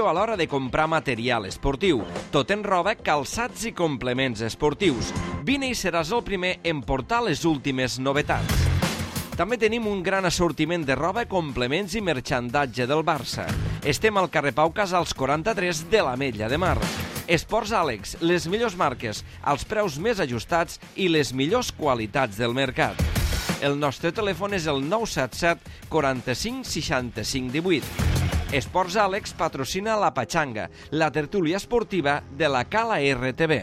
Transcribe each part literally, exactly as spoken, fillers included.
a l'hora de comprar material esportiu, tot en roba, calçats i complements esportius. Vine i seràs el primer en portar les últimes novetats. També tenim un gran assortiment de roba, complements i merxandatge del Barça. Estem al carrer Pau Casals quaranta-tres de l'Ametlla de Mar. Esports Àlex, les millors marques, els preus més ajustats i les millors qualitats del mercat. El nostre telèfon és el nou set set quaranta-cinc seixanta-cinc divuit. Esports Àlex patrocina la Patxanga, la tertúlia esportiva de la Cala R T V.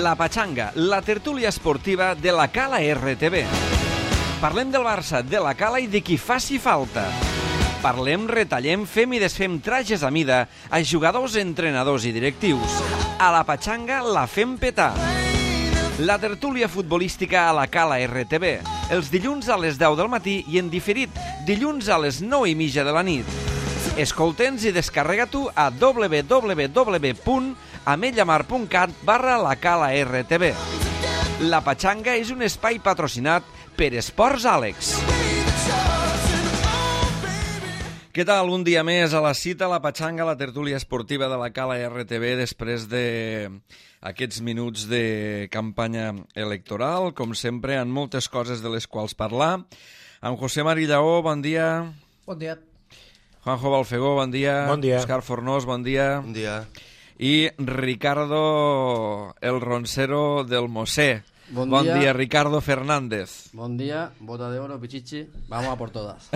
La Patxanga, la tertúlia esportiva de la Cala R T V. Parlem del Barça, de la Cala i de qui faci falta. Parlem, retallem, fem i desfem trajes a mida a jugadors, entrenadors i directius. A la Patxanga la fem petar. La tertúlia futbolística a la Cala R T V. Els dilluns a les deu del matí i en diferit dilluns a les nou i mitja de la nit. Escolta'ns i descarrega-t'ho a w w w punt ametllamar punt cat barra la Cala R T V. La Patxanga és un espai patrocinat per Esports Àlex. Què tal? Un dia més a la cita, a la Patxanga, la tertúlia esportiva de la Cala R T V, després d'aquests minuts de campanya electoral. Com sempre, amb moltes coses de les quals parlar. Amb José Mari Lleó, bon dia. Bon dia. Juanjo Balfegó, bon dia. Bon dia. Òscar Fornós, bon dia. Bon dia. I Ricardo, el roncero del Mosé. Bon, bon dia. dia, Ricardo Fernández. Bon dia, bota de oro, pichichi, vamos a por todas.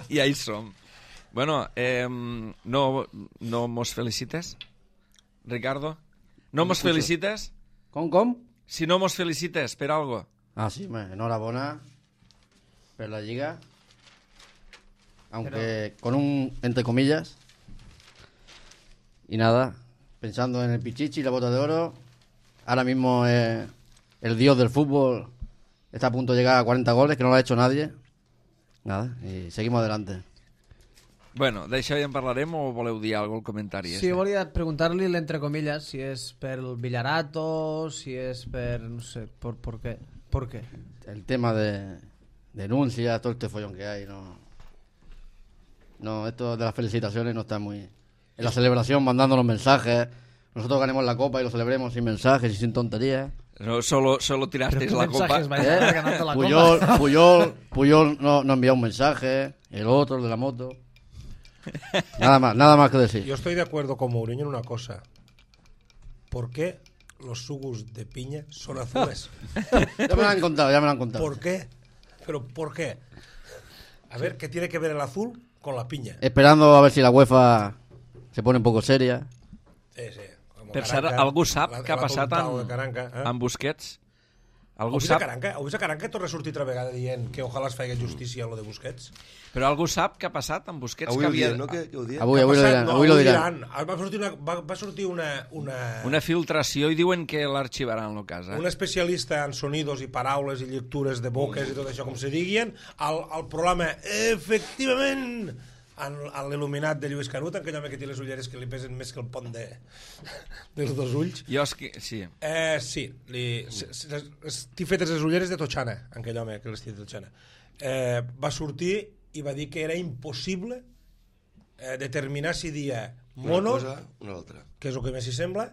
I ahí som. Bueno, eh, no, no mos felicites, Ricardo? No mos felicites? Com, com? Si no mos felicites per algo. Ah, sí, me, enhorabona per la Lliga. Aunque Pero... con un, entre comillas. Y nada, pensando en el pichichi y la bota de oro, ahora mismo eh, el dios del fútbol está a punto de llegar a cuarenta goles, que no lo ha hecho nadie. Nada, y seguimos adelante. Bueno, d'això ja en parlarem o voleu dir alguna cosa al comentari? Sí, volia preguntar-li l'entre comillas, si és per el Villarato, si és per, no sé, por, por qué, por qué. El tema de denuncias, todo este follón que hay, no... No, esto de las felicitaciones no está muy... En la celebración mandando los mensajes, nosotros ganemos la copa y lo celebremos sin mensajes y sin tonterías. No, solo, solo tirasteis la copa. ¿Eh? Puyol, Puyol, Puyol no, no envió un mensaje, el otro, el de la moto. Nada más, nada más que decir. Yo estoy de acuerdo con Mourinho en una cosa. ¿Por qué los sugus de piña son azules? Ya me lo han contado, ya me lo han contado. ¿Por qué? ¿Pero por qué? A ver, ¿qué tiene que ver el azul con la piña? Esperando a ver si la UEFA se pone un poco seria. Sí, sí. Per cert, algú sap què ha passat amb, Caranca, eh? amb Busquets? Algú Heu vist sap? Caranca? Heu vist a Caranca torna a sortir altra vegada dient que ojalà es faci justícia a lo de Busquets? Però algú sap què ha passat amb Busquets? Avui que ho havia... diem, no? Que, que ho diem? Avui, avui lo diran. No, Avui lo diran. Va sortir una, va, va sortir una, una... Una filtració i diuen que l'arxivaran el cas. Eh? Un especialista en sonidos i paraules i lectures de boques i tot això, com se diguien, al, al programa, efectivament, en, en l'il·luminat de Lluís Canut, en aquell home que té les ulleres que li pesen més que el pont de, dels dos ulls. Jo és que... Sí. Eh, sí, li, estic fetes les ulleres de Totxana, en aquell home que les té de Totxana. Eh, va sortir i va dir que era impossible eh, determinar si dia mono, una cosa, una altra. que és el que més s'hi sembla,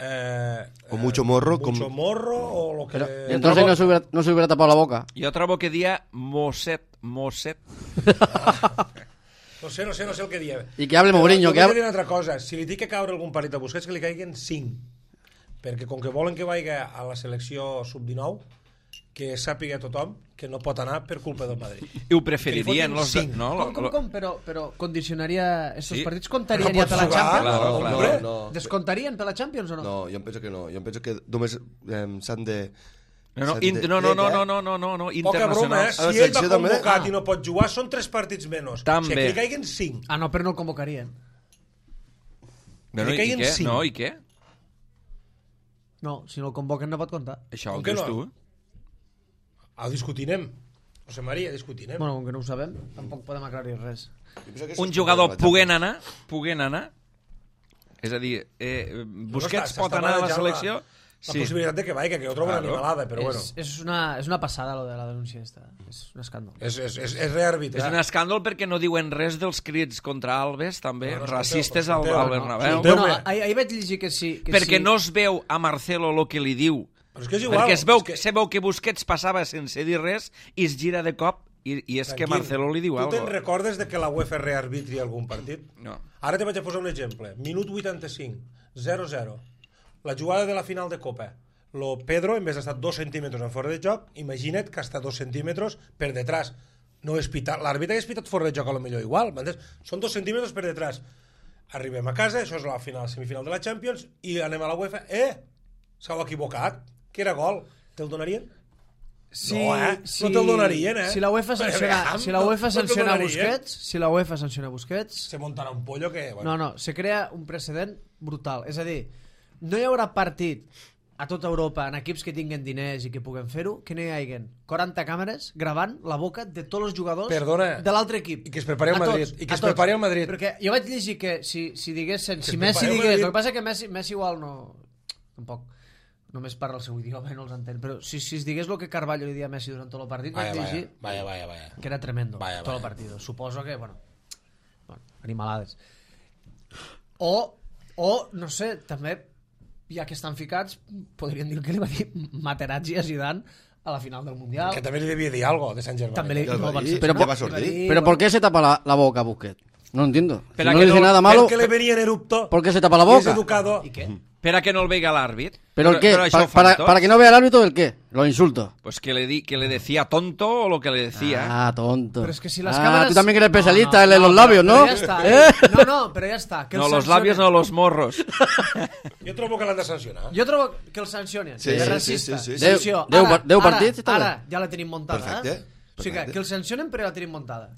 eh, o mucho morro, mucho com... morro o lo que... Pero, entonces no se, hubiera, no se hubiera tapado la boca. Jo trobo que dia Mosset, Mosset. No sé, no sé, no sé el que dia. I que hable Mourinho, que hable... hable... una altra cosa, si li té que caure algun parit a Busquets, que li caiguen cinc. Perquè com que volen que vagi a la selecció sub dinou, que sàpiga tothom que no pot anar per culpa del Madrid. I ho preferirien los... cinc. No, Com, com, com? Però, però condicionaria... Estos Sí. partits comptarien No ja per la pots jugar, Champions? claro, no, claro. no, no. Descontarien per la Champions o no? No, jo em penso que no. Jo em penso que només eh, s'han de... No, no, s'han in, de- no, no, no, de- no, no, no, no, no, Poca broma, eh? internacionals. A la Si ell va selecció també? convocat Ah. i no pot jugar, són tres partits menys. També. Si aquí li caiguen cinc. Ah, no, però no el convocarien. No, no, li i, caiguen què? cinc. No, i què? No, si no el convoquen no pot comptar. Això Com ho que dius no? tu? Ah, discutinem. José María, discutinem. Bueno, com que no ho sabem, tampoc podem aclarir res. Jo penso que Un s'ha jugador explicat, puguen anar, puguen anar, és a dir, eh, Busquets s'està pot anar a la manejant selecció, la Sí. possibilitat de que vagi, que jo trobo una Claro. animalada, però bueno. És, és, una, és una passada, lo de la denúncia esta. És un escàndol. És, és, és, és rearbitrar. És un escàndol perquè no diuen res dels crits contra Alves, també, No, no, racistes al, escolteu, al no. Bernabéu. Escolteu, Bueno, Déu-me. ahir, ahir vaig llegir que sí. Que Perquè sí. no es veu a Marcelo el que li diu. Però és que és igual. Perquè es veu, és que... se veu que Busquets passava sense dir res i es gira de cop i, i és que Tranquil, Marcelo li diu tu alguna te'n cosa. recordes de que la UEFA rearbitri algun partit? No. Ara te vaig a posar un exemple. Minut vuitanta-cinc, zero zero. La jugada de la final de Copa. Lo Pedro, en vez d'estar dos centímetres en fora de joc, imagina't que està dos centímetres per detrás. No és pitar. L'àrbitre hagués pitat fora de joc a lo millor igual. M'entens? Són dos centímetres per detrás. Arribem a casa, això és la final, semifinal de la Champions, i anem a la UEFA. Eh! S'heu equivocat. Que era gol. Te'l donarien? Si, No, eh? si, No te'l donarien, eh? Si la UEFA sanciona, Aviam, si la UEFA no- no te'l sanciona donarien. Busquets, si la UEFA sanciona Busquets, Se muntarà un pollo que... no, no, se crea un precedent brutal. És a dir, no hi haurà partit a tota Europa en equips que tinguen diners i que puguen fer-ho, que no hi hagin quaranta càmeres gravant la boca de tots els jugadors Perdona. de l'altre equip. I que es prepari el A Madrid. tots, I que a es tots. prepari el Madrid. Perquè jo vaig llegir que si, si diguessin, si es Messi prepari el digués, Madrid. el que passa és que Messi, Messi igual no... Tampoc només parla el seu idioma i no els entén, però si, si es digués el que Carvalho li dia a Messi durant tot el partit, Vaya, vaig vaya, llegir vaya, vaya, vaya. que era tremendo, Vaya, todo vaya. el partido. Suposo que, bueno, bueno animalades. O, o, no sé, també, ja que estan ficats, podrien dir el que li va dir Materazzi a Zidane a la final del Mundial. Que també li devia dir algo de Sant Germán. També li, Ja el va no, van dir, ser- Pero no, por- va li va sortir. dir, Pero ¿por qué se tapa la, la boca, Busquets? No entiendo. Si Pero no que dice no- nada malo, Perquè le venía en erupto. ¿por qué se tapa la Y es boca? educado. ¿Y qué? Per a que no el veiga l'àrbit. ¿Pero el qué? Però això Pa- ho fan para, tots. para que no vea el árbitro, ¿el qué? Los insultos. Pues que le, di, que le decía tonto o lo que le decía. Ah, tonto. Pero es que si las ah, cámaras... tú también que eres No, especialista no, en los no, labios, pero ¿no? ya está, ¿Eh? eh. No, no, pero ya está. Que no, el los sancionen. labios no, los morros. Jo trobo que l'han de sancionar. Jo trobo que el sancionen. Sí, de sí, racista. sí, sí, sí. Sanció. Deu- Ara, deu- deu ara, partits, està bé. Ara, ja la tenim muntada. Perfecte, Eh? O sigui que, perfecte. que el sancionen però ja la tenim muntada.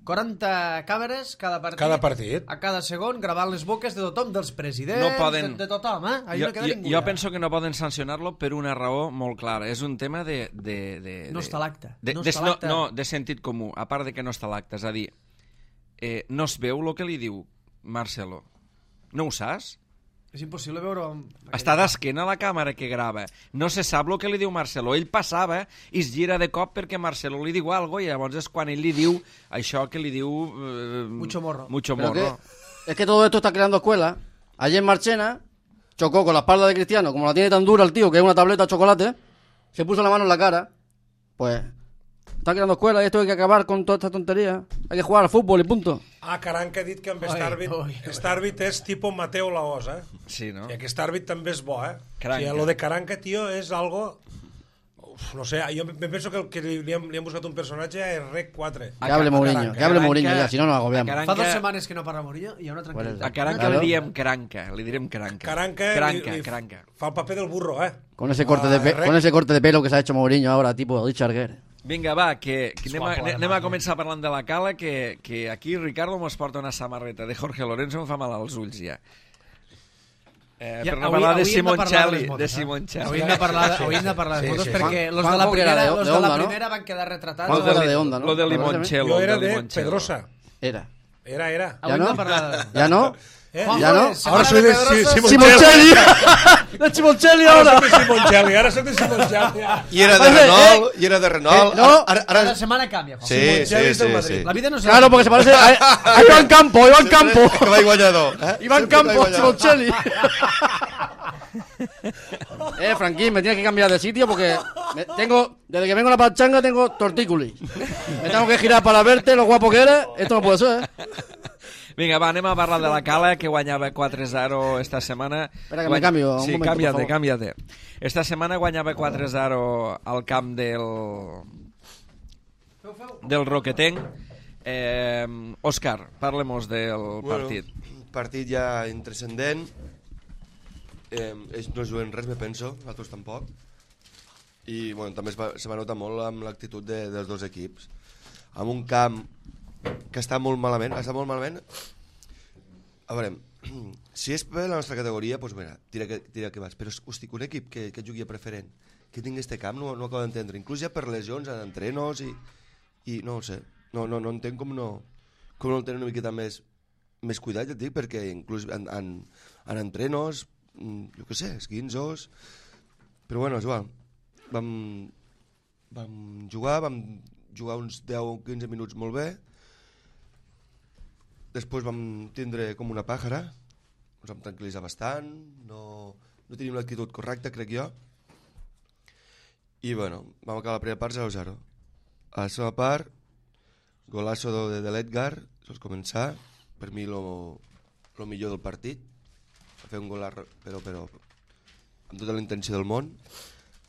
quaranta càmeres cada partit. Cada partit. A cada segon, gravant les boques de tothom, dels presidents, No poden- de, de tothom, eh? Ahí jo, no queda jo, ningú. jo ja. penso que no poden sancionar-lo per una raó molt clara. És un tema de... de, de No de- està a l'acte. De, No de, està a no, l'acte. no, de sentit comú. A part de que no està a l'acte. És a dir, eh, no es veu el que li diu Marcelo. No ho saps? És impossible veure... Està d'esquena a la càmera que grava. No se sap el que li diu Marcelo. Ell passava i es gira de cop perquè Marcelo li diu alguna cosa i llavors és quan ell li diu això que li diu... Eh, Mucho morro. Mucho Pero morro. que- es que todo esto está creando escuela. Ayer Marchena chocó con la espalda de Cristiano, como la tiene tan dura el tío, que es una tableta de chocolate, se puso la mano en la cara. Pues está creando escuela y esto hay que acabar con toda esta tontería. Hay que jugar al fútbol y punto. Ah, Caranca ha dit que amb Oi, Starbit, oi, oi. Starbit és tipus Mateo Laos, eh? Sí, no? I aquest àrbit també és bo, eh? Caranca. O sigui, lo de Caranca, tio, és algo... Uf, no sé, jo me penso que, el que li, li, han, li han buscat un personatge a Rec quatre. Que hable Mourinho, Caranca. que hable Caranca- Mourinho ya, si no nos agobiamos. Caranca- Fa dues setmanes que no parla Mourinho i hi ha una tranquil·litat. A Caranca Claro. li diem cranca, li direm cranca. Caranca, Cranca, li, li cranca. fa el paper del burro, eh? Con ese corte de pe- Rec- con ese corte de pelo que se ha hecho Mourinho ahora, tipo Richard Gere. Vinga, va, que, que anem, a, guapo, anem a además, començar parlant de la cala, que, que aquí Ricardo mos porta una samarreta de Jorge Lorenzo, em fa mal als ulls ja. Eh, Ja, per no avui- parlar de avui hem de parlar de Simoncelli, les motos, de eh? Simoncelli. Avui hem de parlar, de- avui hem de parlar de Sí, motos sí. perquè Juan- los de la Juanjo, que era primera, de- los de de la Onda, ¿no? primera van quedar retratats. Juanjo Lo era de- de Onda, ¿no? Lo de ¿Lo conoces? Limoncello. Jo era lo de de Limoncello. Pedrosa. Era. Era, era. Avui Ja hem no? de parlar de... ¿Ya no? Eh? Juanjo, Ja no? eh, setmana Ahora soy de Pedrosa. sí, sí, Simoncelli! ¡De Simoncelli Ara ahora! soc de Simoncelli, ara soc de Simoncelli. I era de Oye, Renault, i era de Renault. Eh, no. Ara, Cada ara, setmana canvia, Juanjo. sí, sí, Simoncelli és del sí, Madrid. sí. La vida no se Claro, porque se parece a, a Iván Campo, Iván Campo. Que va guanyador. Eh? Iván Sempre que va Campo, guanyador. Simoncelli. Eh, Franquín, me tienes que cambiar de sitio porque me- tengo, desde que vengo a la pachanga tengo tortícolis. Me tengo que girar para verte lo guapo que eres. Esto no puede ser, ¿eh? Vinga, va, anem a parlar de la Cala, que guanyava quatre a zero esta setmana. Espera que me cambio, un Sí, momento, cámbiate, por favor. cámbiate. Esta setmana guanyava quatre a zero al camp del... del Roquetenc. Eh, Òscar, parlem-nos del partit. Bueno, partit ja intrascendent. Eh, ells no juguen res, me penso, nosaltres tampoc. I bueno, també es va, se va notar molt amb l'actitud de, dels dos equips. Amb un camp que està molt malament, està molt malament. A veure, si és per la nostra categoria, doncs mira, tira que, tira que vas. Però, hosti, un equip que, que jugui a preferent, que tingui este camp, no, no acabo d'entendre. Inclús ja per lesions, en entrenos i... i no ho sé, no, no, no entenc com no, com no el tenen una miqueta més, més cuidat, ja et dic, perquè inclús en, en, en entrenos, mm, jo què sé, esquinzos, Però bueno, és igual. Vam, vam jugar, vam jugar uns deu o quinze minuts molt bé. Després vam tindre com una pàjara, ens vam tranquil·litzar bastant, no, no tenim l'actitud correcta, crec jo. I bueno, vam acabar la primera part zero a zero. A la segona part, golazo de, de l'Edgar, sols començar, per mi lo, lo millor del partit. Va fer un gol, però, però amb tota la intenció del món,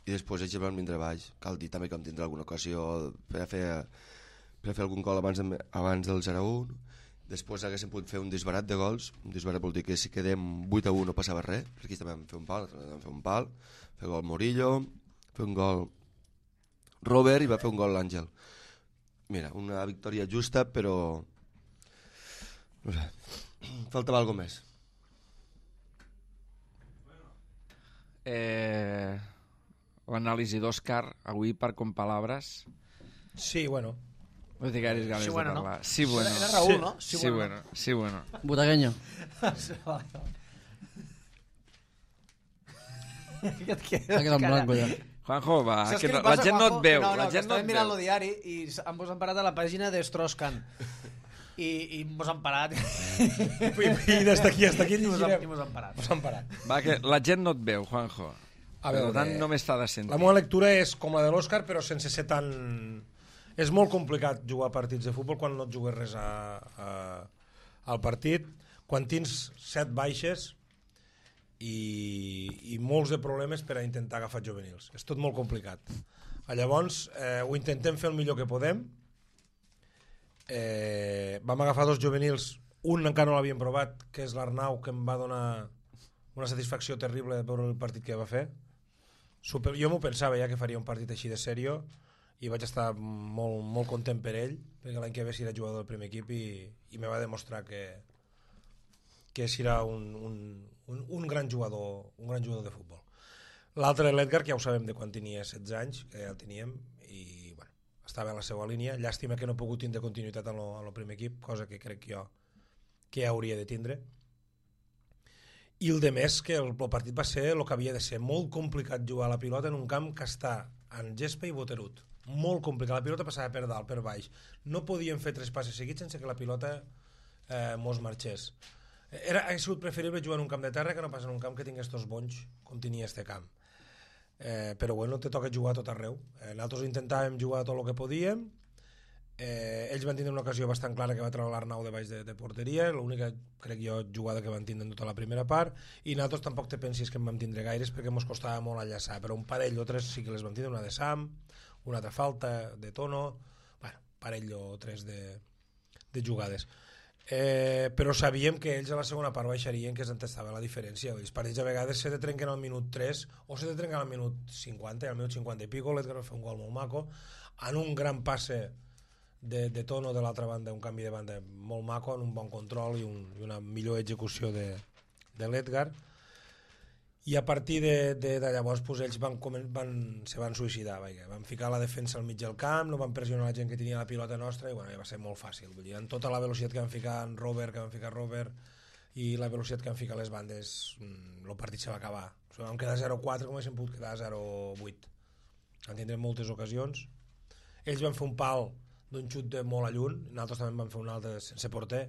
i després ells van vindre baix. Cal dir també que vam tindre alguna ocasió per a fer, per a fer algun gol abans, de, abans del zero a un. Després haguéssim pogut fer un disbarat de gols. Un disbarat vol dir que si quedem vuit a u no passava res, perquè aquí també vam fer un pal, vam fer un pal, fer gol Murillo, fer un gol Robert i va fer un gol l'Àngel. Mira, una victòria justa, però no sé, faltava alguna més. Eh, L'anàlisi d'Òscar avui per com palabres. Sí, bueno. No té gaires ganes Sí, bueno, de no? parlar. Sí, bueno. Era Raúl, Sí. no? Sí, sí, bueno. Sí, bueno. Butaqueño. Què et queda? Ha quedat en blanco ja. Juanjo, va, Saps que què no, li la passa, gent no Juanjo? et veu. No, no, la que gent no estàvem et mirant veu. el diari i ens mos han parat a la pàgina de Strauss-Kahn. I, i mos han parat. I, i des d'aquí fins aquí I mos han, llegirem. i mos han parat. Mos han parat. Va, que la gent no et veu, Juanjo. A Per veure, tant, eh, només t'ha de sentir. La meva lectura és com la de l'Òscar, però sense ser tan... És molt complicat jugar partits de futbol quan no et jugues res a, a, al partit, quan tens set baixes i, i molts de problemes per a intentar agafar juvenils. És tot molt complicat. Llavors, eh, ho intentem fer el millor que podem. Eh, vam agafar dos juvenils, un encara no l'havíem provat, que és l'Arnau, que em va donar una satisfacció terrible de veure el partit que va fer. Super, jo m'ho pensava ja que faria un partit així de sèrio i vaig estar molt, molt content per ell, perquè l'any que ve serà jugador del primer equip i, i me va demostrar que, que serà un, un, un, un gran jugador un gran jugador de futbol. L'altre, l'Edgar, que ja ho sabem de quan tenia setze anys, que ja el teníem, i bueno, estava a la seva línia. Llàstima que no he pogut tindre continuïtat en el primer equip, cosa que crec jo que ja hauria de tindre. I el de més, que el, el partit va ser el que havia de ser. Molt complicat jugar a la pilota en un camp que està en gespa i boterut. Molt complicat. La pilota passava per dalt, per baix. No podíem fer tres passes seguits sense que la pilota eh, mos marxés. Era, ha sigut preferible jugar en un camp de terra que no pas en un camp que tingués estos bonys com tenia este camp. Eh, però bueno, te toca jugar a tot arreu. Eh, nosaltres intentàvem jugar tot el que podíem. Eh, ells van tindre una ocasió bastant clara que va treure l'Arnau de baix de, de porteria, l'única, crec jo, jugada que van tindre en tota la primera part, i nosaltres tampoc te pensis que en vam tindre gaires perquè ens costava molt enllaçar, però un parell o tres sí que les vam tindre, una de Sam, una altra falta de Tono, bueno, parell o tres de, de jugades. Eh, però sabíem que ells a la segona part baixarien, que es entestava la diferència. Els partits a vegades se te trenquen al minut tres o se te trenquen al minut cinquanta, i al minut cinquanta i pico l'Edgar va fer un gol molt maco, en un gran passe de, de Tono de l'altra banda, un canvi de banda molt maco, en un bon control i, un, i una millor execució de, de l'Edgar. I a partir de, de, de llavors pues, ells van, van, se van suïcidar, vaja. Van ficar la defensa al mig del camp, no van pressionar la gent que tenia la pilota nostra i bueno, ja va ser molt fàcil. Vull dir, en tota la velocitat que van ficar en Robert, que van ficar Robert i la velocitat que van ficar les bandes, el partit se va acabar. O sigui, vam quedar zero quatre com haguéssim pogut quedar zero vuit. Van tindre moltes ocasions. Ells van fer un pal d'un xut de molt a lluny, nosaltres també vam fer un altre sense porter,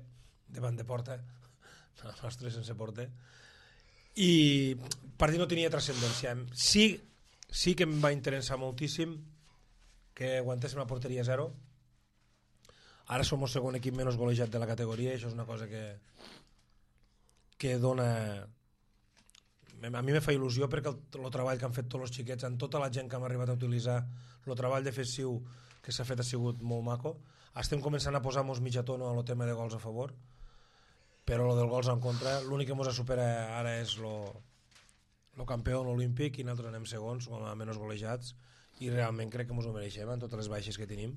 davant de porta, el nostre sense porter, i el partit no tenia transcendència. Sí, sí que em va interessar moltíssim que aguantéssim la porteria zero. Ara som el segon equip menys golejat de la categoria i això és una cosa que que dona... A mi me fa il·lusió perquè el, el treball que han fet tots els xiquets, amb tota la gent que hem arribat a utilitzar, el treball defensiu que s'ha fet ha sigut molt maco. Estem començant a posar-nos mitja tono a lo tema de gols a favor, però lo del gols en contra, l'únic que ens supera ara és lo, lo campió olímpic i nosaltres anem segons, com a menys golejats, i realment crec que ens ho mereixem amb totes les baixes que tenim.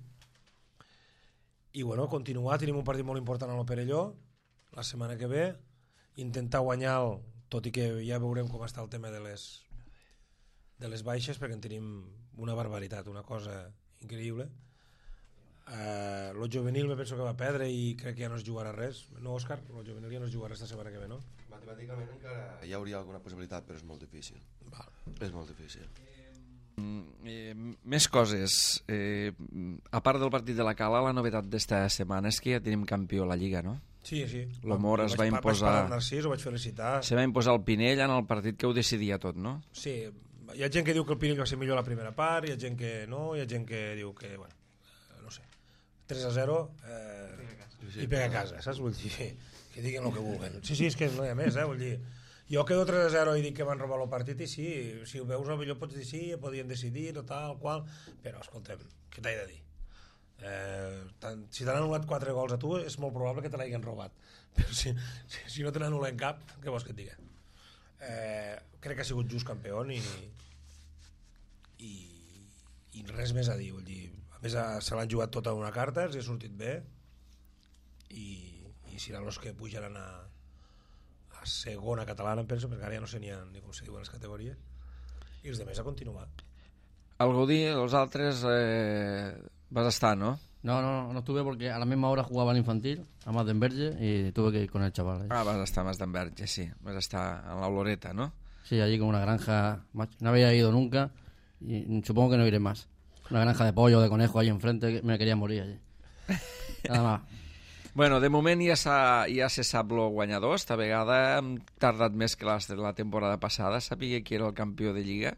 I bueno, continuar, tenim un partit molt important a lo Perelló la setmana que ve, intentar guanyar el, tot i que ja veurem com està el tema de les de les baixes, perquè en tenim una barbaritat, una cosa increïble. Eh, lo juvenil me penso que va perdre i crec que ja no es jugarà res. No, Òscar? Lo juvenil ja no es jugarà esta setmana que ve, no? Matemàticament encara hi hauria alguna possibilitat, però és molt difícil. Val. És molt difícil. Eh, més coses. Eh, a part del partit de la Cala, la novetat d'esta setmana és que ja tenim campió a la Lliga, no? Sí, sí. Lo Mora es va Vaig imposar... parlar amb Narcís, ho vaig felicitar. Se va imposar el Pinell en el partit que ho decidia tot, no? Sí, hi ha gent que diu que el Pinell va ser millor la primera part, hi ha gent que no, hi ha gent que diu que, bueno, no sé, tres a zero eh, i pega a casa, saps? Vull dir, que diguin el que vulguen. Sí, sí, és que no hi ha més, eh? Vull dir, jo quedo tres a zero i dic que van robar el partit i sí, si ho veus millor pots dir sí, podien decidir o tal, qual, però escoltem, què t'he de dir? Eh, tant, si t'han anul·lat quatre gols a tu és molt probable que te l'hagin robat, però si, si, si no te n'anul·len cap, què vols que et digui? Eh, crec que ha sigut just campió i, i, i res més a dir, vull dir, a més se l'han jugat tota una carta, els ha sortit bé i, i seran els que pujaran a, a segona catalana, em penso, perquè ara ja no sé ni, a, ni com se diuen les categories, i els demés a continuar. Al Gaudí, els altres eh, vas estar, ¿no? No, no, no estuve porque a la misma hora jugaba el infantil, a Madenberge, y tuve que ir con el chaval. ¿eh? Ah, vas estar a Madenberge, sí. Vas estar en la Oloreta, ¿no? Sí, allí con una granja, no había ido nunca y supongo que no iré más. Una granja de pollo, de conejo ahí enfrente, me quería morir allí. Nada más. Bueno, de moment ja, ja se sap el guanyador. Esta vegada hem tardat més que la, la temporada passada. Sabia qui era el campió de Lliga.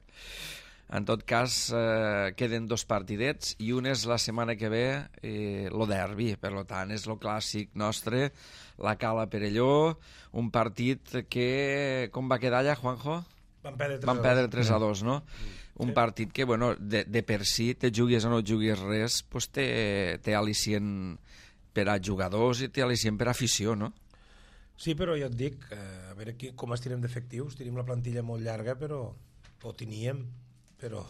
En tot cas, eh, queden dos partidets i un és la setmana que ve eh, lo derbi, per tant, és lo clàssic nostre, la Cala Perelló, un partit que... Com va quedar allà, Juanjo? Van perdre tres, Van perdre tres a dos, no? Un Sí. partit que, bueno, de, de per si, te juguis o no juguis res, pues té, té al·licient per a jugadors i té al·licient per a afició, no? Sí, però jo et dic, eh, a veure qui, com estirem d'efectius, tenim la plantilla molt llarga, però ho teníem, però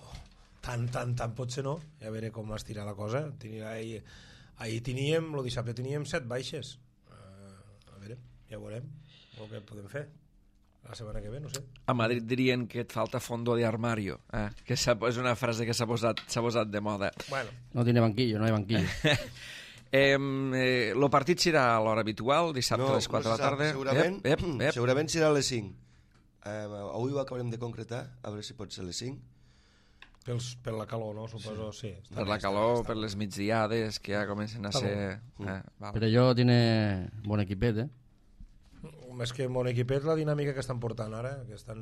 tant, tant, tant pot ser no, i a veure com estirar la cosa. Tenia, ahir, ahir teníem, el dissabte teníem set baixes, uh, a veure, ja veurem el que podem fer la setmana que ve, no sé. A Madrid dirien que et falta fondo de armario, eh? Que és una frase que s'ha posat, s'ha posat de moda. Bueno, No tiene banquillo, no hay banquillo. Eh, eh, lo partit serà a l'hora habitual, dissabte a les quatre no de se la sap. tarda. Segurament, Ep, ep, ep. segurament serà a les cinc. Eh, avui ho acabarem de concretar, a veure si pot ser a les cinc. pels, per la calor, no? Suposo, sí. sí Per la calor, per les migdiades, que ja comencen a Està ser... Eh, val. Pero yo tiene buen equipete. Més que mon equipet, la dinàmica que estan portant ara, que estan...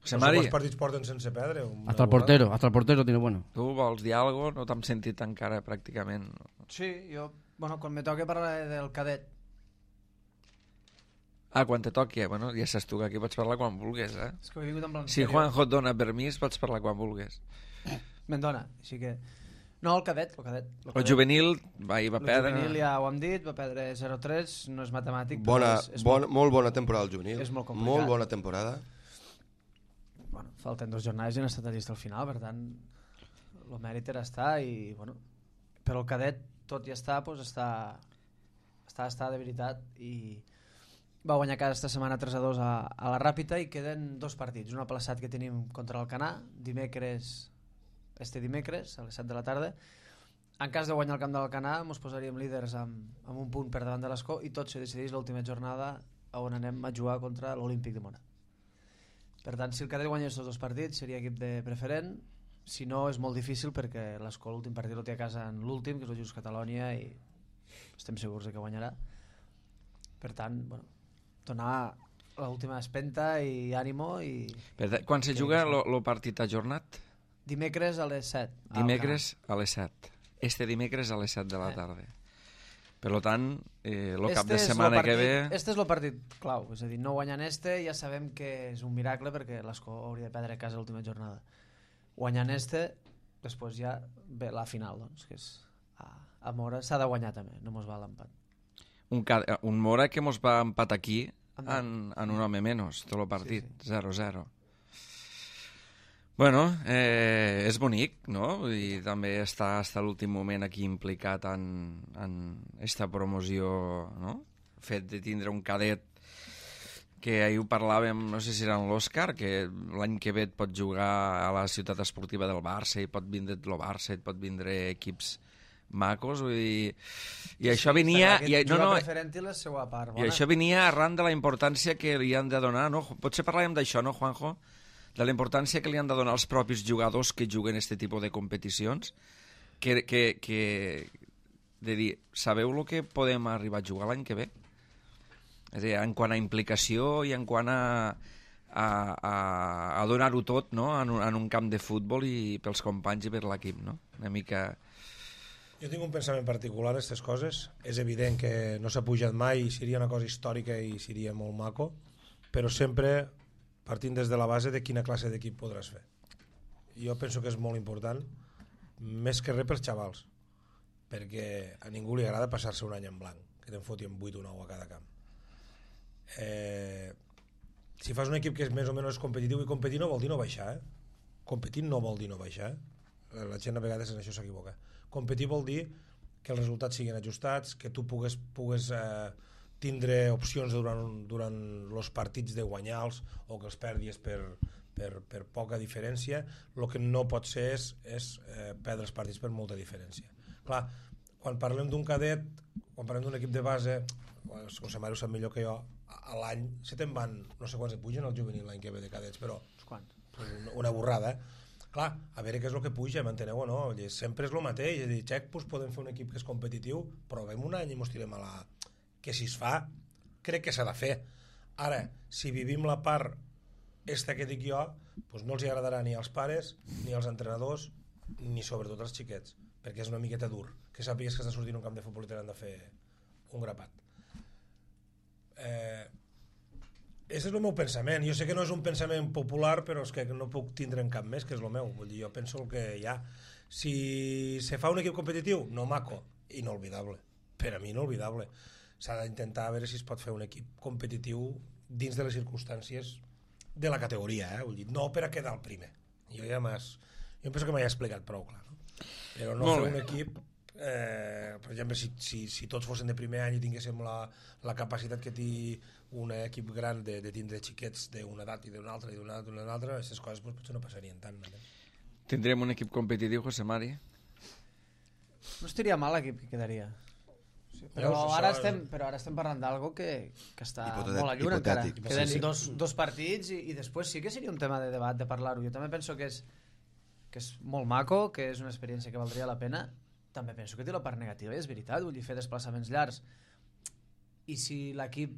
José no sé Mari, quants partits porten sense perdre. una Hasta el vegada. portero, hasta el portero tiene bueno. tu vols dir alguna cosa? No t'hem sentit encara pràcticament. Sí, jo, bueno, quan me toque parlar del cadet. Ah, quan te toqui, bueno, ja saps tu que aquí pots parlar quan vulguis, eh? És que he vingut en plan... Si Juanjo et dona permís, pots parlar quan vulguis. Me'n dona, així que... No, el cadet, el cadet. El, El juvenil va, hi va el perdre... juvenil ja ho hem dit, va perdre zero tres, no és matemàtic, Bona, però és, és bon, molt... molt bona temporada al juvenil. és molt complicat. Molt bona temporada. Bueno, falten dos jornades i no ha estat a llista al final, per tant, el mèrit era estar i, bueno, però el cadet, tot i estar, doncs està, està, està de veritat i va guanyar cada esta setmana tres a dos a, a la Ràpita i queden dos partits, un aplaçat que tenim contra el Canà, dimecres, este dimecres, a les set de la tarda. En cas de guanyar el camp del Canà, ens posaríem líders amb, amb un punt per davant de l'Escó i tot se decideix l'última jornada on anem a jugar contra l'Olímpic de Mona. Per tant, si el cadet guanya aquests dos partits seria equip de preferent, si no és molt difícil perquè l'Escó l'últim partit el té a casa en l'últim, que és el Just Catalònia, i estem segurs de que guanyarà. Per tant, bueno, donar l'última espenta i ànimo i... Per tant, quan se juga el partit ajornat? Dimecres a les set. al Dimecres a les set. Este dimecres a les set de la tarda. Per tant, eh, el cap de és lo setmana partit, que ve... Este és el partit clau, és a dir, no guanyant este ja sabem que és un miracle perquè l'Escó hauria de perdre a casa l'última jornada. Guanyant este, després ja ve la final, doncs, que és a, a Mora, s'ha de guanyar també, no mos va l'empat. Un, ca- un Mora que mos va empat aquí Anda. en, en un home menys, tot el partit, Sí, zero zero. Bueno, eh, és bonic, no? I també està fins a l'últim moment aquí implicat en, en esta promoció, no? El fet de tindre un cadet que ahir ho parlàvem, no sé si era en l'Òscar, que l'any que ve et pot jugar a la ciutat esportiva del Barça i pot vindre el Barça, et pot vindre equips macos, vull dir... I això venia... Aquest I, no, jugar no, preferent i la seva part. I això venia arran de la importància que li han de donar, no? Potser parlàvem d'això, no, Juanjo? De la importància que li han de donar als propis jugadors que juguen aquest tipus de competicions, que, que, que de dir, sabeu el que podem arribar a jugar l'any que ve? És a dir, en quant a implicació i en quant a, a, a, a donar-ho tot, no? En, un, en un camp de futbol i pels companys i per l'equip, no? Una mica... Jo tinc un pensament particular a aquestes coses. És evident que no s'ha pujat mai i seria una cosa històrica i seria molt maco, però sempre partint des de la base de quina classe d'equip podràs fer. Jo penso que és molt important, més que res pels xavals, perquè a ningú li agrada passar-se un any en blanc, que te'n foti en vuit o nou a cada camp. Eh, si fas un equip que és més o menys competitiu, i competir no vol dir no baixar, eh? Competir no vol dir no baixar, eh? La gent a vegades en això s'equivoca. Competir vol dir que els resultats siguin ajustats, que tu pugues, pugues eh, tindre opcions durant, durant els partits de guanyar-los o que els perdis per, per, per poca diferència. El que no pot ser és, és eh, perdre els partits per molta diferència. Clar, quan parlem d'un cadet, quan parlem d'un equip de base, el José Mario sap millor que jo, a l'any se te'n van, no sé quants et pugen al juvenil l'any que ve de cadets, però una, una borrada, eh? Clar, a veure què és el que puja, m'enteneu o no? Sempre és el mateix, és a dir, xec, doncs podem fer un equip que és competitiu, provem un any i mos tirem a la... Que si es fa, crec que s'ha de fer. Ara, si vivim la part esta que dic jo, doncs no els agradarà ni als pares, ni als entrenadors, ni sobretot als xiquets, perquè és una miqueta dur, que sàpigues que has de sortir en un camp de futbol i t'han de fer un grapat. Eh... Ese és el meu pensament. Jo sé que no és un pensament popular, però és que no puc tindre en cap més, que és el meu. Vull dir, jo penso el que hi ha. Si se fa un equip competitiu, no maco, inolvidable. Per a mi, inolvidable. S'ha d'intentar veure si es pot fer un equip competitiu dins de les circumstàncies de la categoria, eh? Vull dir, no per a quedar el primer. Jo ja m'has... Jo penso que m'he explicat prou clar, no? Però no fer un equip... Eh, per exemple, si, si, si tots fossin de primer any i tinguéssim la, la capacitat que té un equip gran de, de tindre xiquets d'una edat i d'una altra i d'una altra, altra, aquestes coses pues, potser no passarien tant. No? Tindrem un equip competitiu, José Mari? No estaria mal l'equip que quedaria. Sí, però, Veus, ara això... estem, però ara estem parlant d'algo que, que està Hipotètic, molt a lluna encara. hipotètic. Queden Sí, sí. dos, dos partits i, i després sí que seria un tema de debat, de parlar-ho. Jo també penso que és, que és molt maco, que és una experiència que valdria la pena. També penso que té la part negativa, i és veritat, vull dir, fer desplaçaments llargs. I si l'equip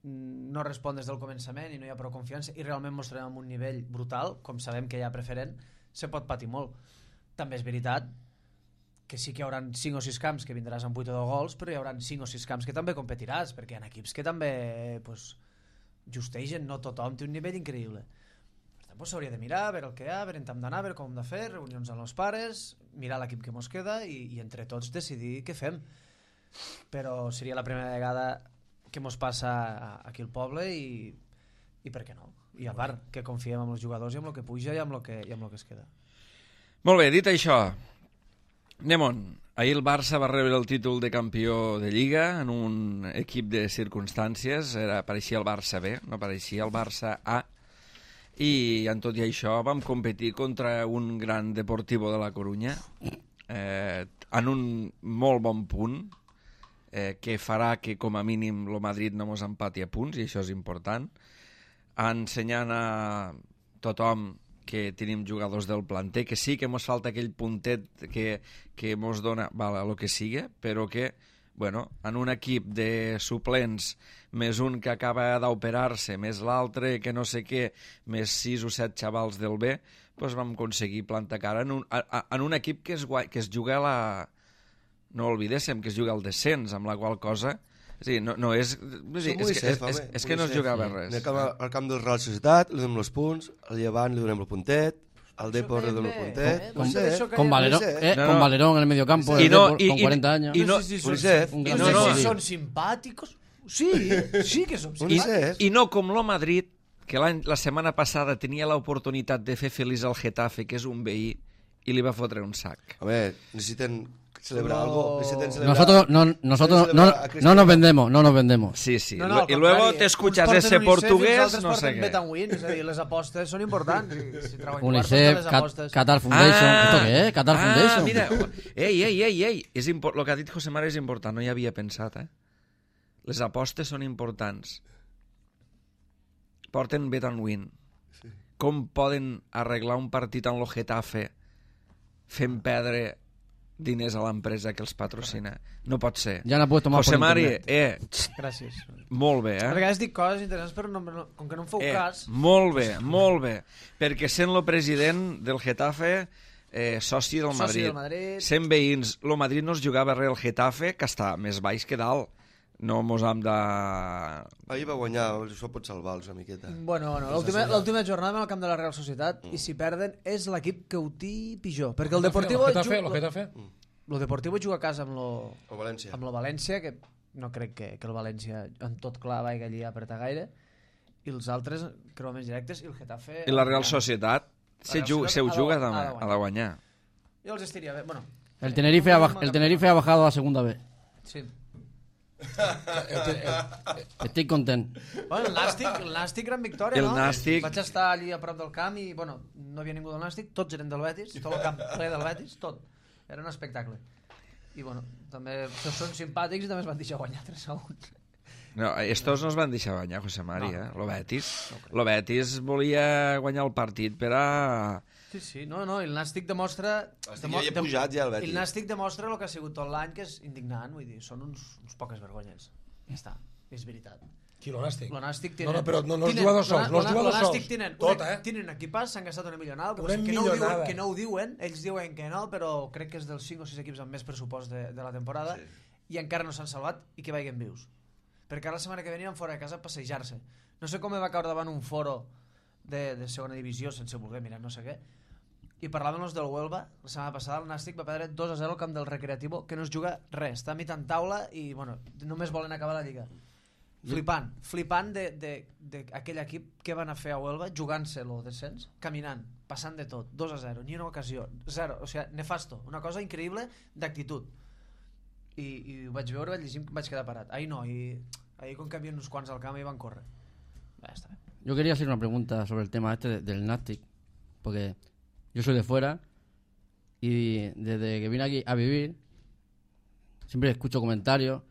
no respon des del començament i no hi ha prou confiança i realment mostrarem un nivell brutal, com sabem que hi ha preferent, se pot patir molt. També és veritat que sí que hi haurà cinc o sis camps que vindràs amb vuit o deu gols, però hi haurà cinc o sis camps que també competiràs, perquè hi ha equips que també pues, justegen, no tothom té un nivell increïble. Per tant, pues, s'hauria de mirar, veure el que hi ha, veure on hem d'anar, veure com hem de fer, reunions amb els pares, mirar l'equip que mos queda i, i entre tots decidir què fem. Però seria la primera vegada que mos passa aquí al poble i, i per què no? I a part, que confiem en els jugadors i en el que puja i en el que, i en el que es queda. Molt bé, dit això, anem on. Ahir el Barça va rebre el títol de campió de Lliga en un equip de circumstàncies. Era, pareixia el Barça B, no pareixia el Barça A. I en tot i això vam competir contra un gran Deportivo de la Corunya eh, en un molt bon punt eh, que farà que com a mínim el Madrid no mos empati a punts, i això és important, ensenyant a tothom que tenim jugadors del planter, que sí que mos falta aquell puntet que, que mos dona val, el que sigui, però que bueno, en un equip de suplents més un que acaba d'operar-se, més l'altre que no sé què, més sis o set xavals del B, doncs vam aconseguir plantar cara en un, a, en un equip que es, que es juga a la... No oblidéssim que es juga al descens, amb la qual cosa... És dir, no, no és... És, dir, és, és, és, és que no es jugava res. Anem al, al camp del Real Societat, li donem els punts, al Llevant li donem el puntet, al Depor li donem el puntet... Con, sé, con, Valerón, eh, no, no. con Valerón en el mediocampo, I no, Depor, i, con cuarenta años. I no, no sé si són, Unicef. Un no gran sé no, si no. són simpàticos. Sí, sí que som Unicef. simpàtics. I no com lo Madrid, que la setmana passada tenia l'oportunitat de fer feliç al Getafe, que és un veí, i li va fotre un sac. Home, necessiten celebrar No. algo. Necesitan celebrar... Nosotros, no, nosotros no, no nos vendemos, no nos vendemos. Sí, sí. No, no, al y luego contrari, te escuchas uns ese porten Unicef i els portugués, altres no sé porten què. Bet and Win, és a dir, les apostes són importants. Si, si treballen UNICEF, les Cat- apostes. Qatar Foundation. ¿Esto qué es? Qatar ah, Foundation. mira, ei, ei, ei, ei. És impor... Lo que ha dit José Mari és important, no hi havia pensat, eh? Les apostes són importants. Porten Bet and Win. Sí. Com poden arreglar un partit en lo Getafe fent perdre diners a l'empresa que els patrocina? No pot ser. Ya han apuesto más José por Mari, internet. eh, Gràcies. molt bé, A eh? vegades dic coses interessants, però no, no, com que no em feu eh cas... molt bé, molt bé. Perquè sent lo president del Getafe, eh, soci del Soci Madrid, del Madrid. sent veïns, lo Madrid no es jugava res al Getafe, que està més baix que dalt. No mos hem de... Ahir va guanyar, això pot salvar-los una miqueta. Bueno, bueno, l'última l'última jornada al camp de la Real Societat, i si perden és l'equip que ho té pitjor. Perquè el Deportivo... Lo Getafe, ju- lo Getafe. Lo Deportivo juga a casa amb lo, O València. amb lo València, que no crec que, que el València en tot clar vagi allí a apretar gaire, i els altres creu més directes, i el Getafe... I la Real Societat se, Real juga, se ho Societat juga ha de- també, ha de ha de guanyar. Jo els estiria bé, bueno... El Tenerife, ha, baj- el Tenerife ha bajado a la segunda vez. Sí. Estoy contento. Bueno, el Nàstic, el Nàstic gran victòria, El no? Nàstic- Vaig estar allí a prop del camp i, bueno, no havia ningú del Nàstic, tots eren del Betis, tot el camp ple del Betis, tot. Era un espectacle. I, bueno, també són simpàtics i també es van deixar guanyar tres a un. No, estos no es van deixar guanyar, José Mari, No, eh? Lo Betis. Lo Betis volia guanyar el partit per a... Sí, sí, no, no, i el Nàstic demostra... Nàstic ja hi ha pujat, ja, el Betis. El Nàstic demostra el que ha sigut tot l'any, que és indignant, vull dir, són uns, uns poques vergonyes. Ja està, és veritat. Qui, lo Nàstic? Lo Nàstic No, tenen... no, però no, no els tenen- jugadors sols, no els lo- lo jugadors Nàstic sols. Tenen, Tot, una, eh? tenen equipats, s'han gastat una millonada, que, Una que, no ho diuen, millonada. que no ho diuen, ells diuen que no, però crec que és dels cinc o sis equips amb més pressupost de, de la temporada, sí. I encara no s'han salvat i que vagin vius. Perquè ara la setmana que ve aniran fora de casa a passejar-se. No sé com me va caure davant un foro de, de segona divisió, sense voler mirar no sé què, i parlàvem els del Huelva. La setmana passada el Nàstic va perdre dos a zero al camp del Recreativo, que no es juga res, està a mitja en taula i bueno, només volen acabar la Lliga. Flipant, flipant d'aquell equip que van a fer a Huelva, jugant-se el descens, caminant, passant de tot, dos a zero, ni una ocasió, zero, o sigui, nefasto, una cosa increïble d'actitud. I, i ho vaig veure, vaig llegir, em vaig quedar parat. Ahir no, i, ahir com que havia uns quants al camp i van córrer. Ja està bé. Yo quería hacer una pregunta sobre el tema este de- del Nastic, porque yo soy de fuera y desde que vine aquí a vivir siempre escucho comentarios.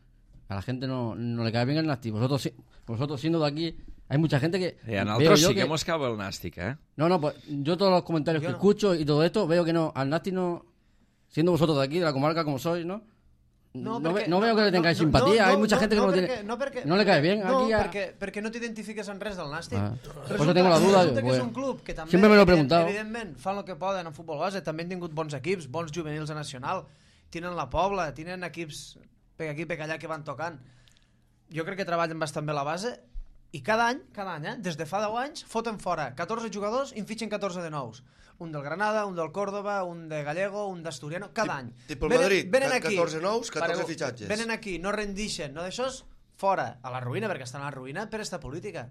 A la gente no, no le cae bien el Nastic. Vosotros, si- vosotros siendo de aquí, hay mucha gente que... I a veo nosaltres yo sí que que- mos cau el Nàstic, eh? No, no, pues yo todos los comentarios Yo que no. escucho y todo esto, veo que no, al Nastic no, siendo vosotros de aquí, de la comarca como sois, ¿no? No, ve- perquè- no veo que le tengáis simpatía, hay mucha gente que no, perquè, tiene, no, perquè, no le cae bien no, aquí a- perquè, perquè no t'identifiques en res del Nàstic. Ah, por eso tengo la duda, Resulta que pues, és un club que també, siempre me lo he evident- preguntado. evidentment, fan el que poden en futbol base, també han tingut bons equips, bons juvenils a Nacional, tenen la Pobla, tenen equips per aquí, per allà que van tocant. Jo crec que treballen bastant bé la base i cada any, cada any, eh, des de fa deu anys, foten fora catorze jugadors i en fitxen catorze de nous. Un del Granada, un del Córdoba, un de Gallego, un d'Asturiano, cada any. Tipo el Madrid, venen aquí, catorze nous, catorze pareu, fitxatges. Venen aquí, no rendixen, no d'això, fora, a la ruïna, perquè estan a la ruïna per esta política.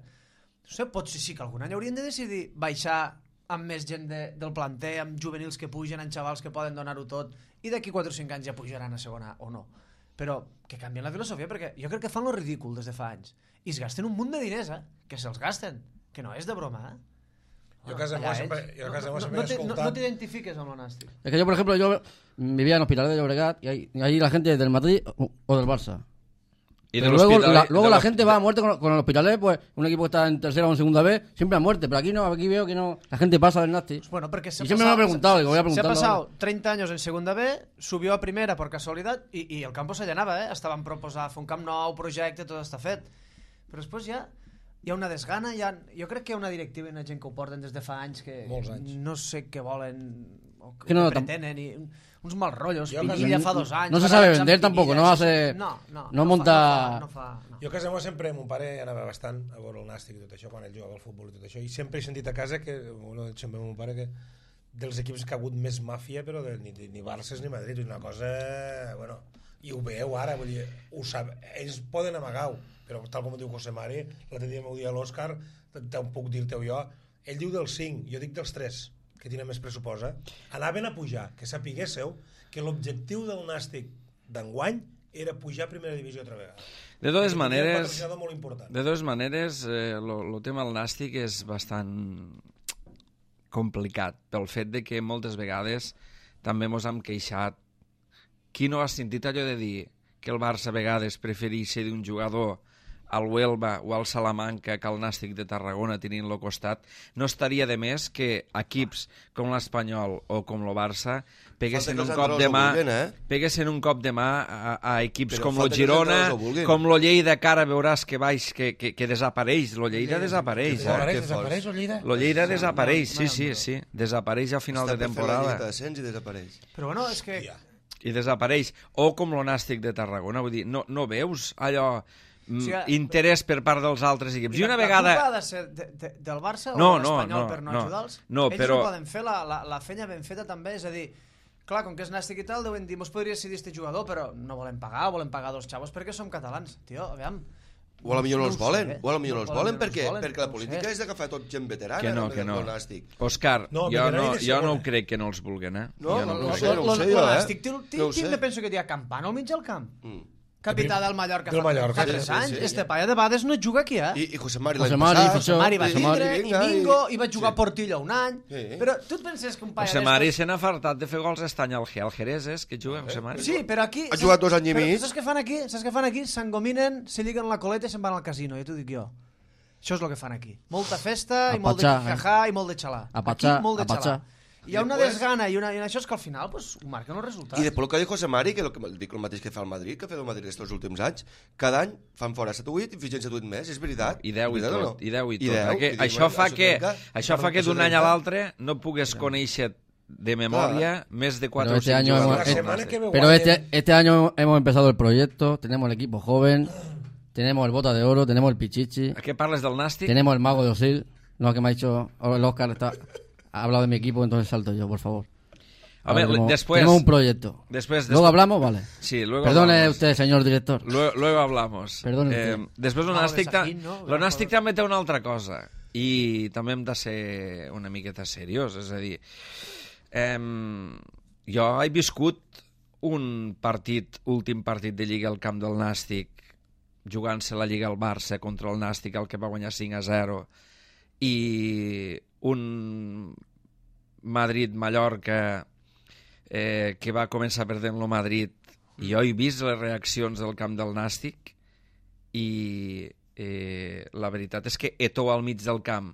No sé, potser sí que algun any haurien de decidir baixar amb més gent de, del planter, amb juvenils que pugen, amb xavals que poden donar-ho tot, i d'aquí quatre o cinc anys ja pujaran a segona o no. Però que canvien la filosofia, perquè jo crec que fan lo ridícul des de fa anys. I es gasten un munt de diners, eh? Que se'ls gasten. Que no és de broma, eh? Jo a casa Allà meva sempre, ells. jo a casa no, meva no, sempre no, he t'hi- no, escoltat... no t'identifiques amb el Nàstic. Es que yo, por ejemplo, yo vivía en Hospitalet de Llobregat y ahí, y ahí la gente es del Madrid o, o del Barça. I Pero de luego l'Hospitalet- la, luego de la l'Hos- gente va a muerte con, con el Hospitalet, pues un equipo que está en tercera o en segunda vez, siempre a muerte. Pero aquí no, aquí veo que no, la gente pasa del Nastic. Bueno, porque se Y siempre me ha preguntado, digo, voy a Se ha preguntarlo pasado ahora. treinta años en segunda B, subió a primera por casualidad y, y el campo se llenava, eh? Estaven proposant fer un camp nou, projecte, tot està fet. Però després ja hi ha una desgana, hi ha, jo crec que hi ha una directiva i una gent que ho porten des de fa anys que Molts anys. no sé què volen o Que que no, no, pretenen i uns mal rotllos. Jo a casa- Pinilla fa dos anys. No se farà sabe anys amb vender tampoco, Pinilla, no sí, sí. hace- No, no, no fa- monta- No fa, no fa, no. Jo a casa meva sempre, mon pare anava bastant a veure el Nàstic i tot això, quan ell jugava al futbol i tot això, i sempre he sentit a casa que, bueno, sempre mon pare que dels equips que ha hagut més màfia, però de, ni, ni Barça ni Madrid, una cosa, bueno, i ho veieu ara, vull dir, ho sap, ells poden amagar-ho, però tal com diu José Mari, l'altre dia m'ho dia l'Òscar, te ho puc dir-te jo, ell diu dels cinc, jo dic dels tres, que tenen més pressupost, eh, anaven a pujar, que sapiguéssiu que l'objectiu del Nàstic d'enguany era pujar a primera divisió altra vegada. De totes Perquè tenia un maneres, patrocinador molt important. de totes maneres, el tema del Nàstic és bastant complicat, pel fet de que moltes vegades també mos hem queixat. Qui no ha sentit allò de dir que el Barça a vegades prefereix ser d'un jugador al Huelva o al Salamanca que al Nàstic de Tarragona tenint-lo costat? No estaria de més que equips com l'Espanyol o com el Barça peguessin un cop de mà peguessin un cop de mà a, a equips com el Girona, com el Lleida, que ara veuràs que baix, que, que, que desapareix. El Lleida desapareix. Desapareix, desapareix el Lleida? El Lleida desapareix, sí, sí, sí. Desapareix a final de temporada. Està fent la llista i desapareix. Però bueno, és que... I desapareix. O com el Nàstic de Tarragona. Vull dir, no, no veus allò... O sigui, interès per part dels altres equips. I una vegada... La culpa ha de ser de, de, del Barça no, o de l'Espanyol no, per no, no ajudar-los? No, Ells però... no poden fer la, la, la feina ben feta també, és a dir, clar, com que és Nàstic i tal, deuen dir, mos podria decidir este jugador, però no volem pagar, volem pagar dos xavos perquè som catalans. Tio, aviam... O a la millor no els volen, sé, o a la millor no els volen, perquè, volen, perquè la no política és d'agafar tot gent veterana. Que no, que no. Òscar, No, jo, no, veterana i de jo no segona. ho crec que no els vulguen, eh? No, Jo no, ho no crec. sé, no ho sé jo, eh? No ho sé. Tinc, penso que hi ha Campano al mig del camp. Mm. Capità del Mallorca Del fa, Mallorca, fa sí, tres sí, anys. sí. Este paia de vegades no juga aquí, eh? I, i José Mari José l'any Mari, passat. José Mari va José tindre, Mari. i Mingo, i va jugar a Portillo un any. Sí. Però tu et penses que un paia José Mari d'estos... se n'ha fartat de fer gols estany al Ge- al Jerez, és que juga José Mari. Sí, però aquí... Ha jugat dos anys i però mig. Saps què fan aquí? Saps què fan aquí? S'engominen, se lliguen la coleta i se'n van al casino, ja t'ho dic jo. Això és el que fan aquí. Molta festa, A i molt de patxar, eh? jajà, i molt de xalà. A patxar, Aquí, molt de a patxar. xalà. Hi ha una Després- desgana i, una, i això és que al final pues, ho marquen els resultats. I després el que diu José Mari, que, lo que dic el mateix que fa el Madrid, que ha fet el Madrid aquests últims anys, cada any fan fora set o vuit i fitxen set o vuit més, és veritat. I deu i Veritat o tot, no? i deu i I tot. deu, Aqu- i dic, això bueno, fa això que, trenca. això fa que Això d'un any a trenca. l'altre no pugues conèixer de memòria més de quatre Pero o este cinc año hemos- jugadors. La eh, semana que ve Pero guanyen- este, este año hemos empezado el proyecto, tenemos el equipo joven, tenemos el Bota de Oro, tenemos el Pichichi, A què parles del Nàstic? tenemos el Mago de Osil, no que me ha dicho, ahora el Oscar está, ha hablado de mi equipo, entonces salto yo, por favor. Home, Ahora tenemos, después- tenemos un proyecto. Después, Luego después- hablamos, vale. Sí, luego Perdone hablamos. usted, señor director. Luego, luego hablamos. Perdone eh, usted. després el No, Nàstic, ta... Sajín, no? el Nàstic també té una altra cosa i també hem de ser una miqueta seriós, és a dir, eh, jo he viscut un partit, últim partit de Lliga al camp del Nàstic, jugant-se la Lliga al Barça contra el Nàstic, el que va guanyar cinc a zero, i un Madrid-Mallorca eh, que va començar perdent-lo Madrid, i jo he vist les reaccions del camp del Nàstic i eh, la veritat és que Eto'o al mig del camp,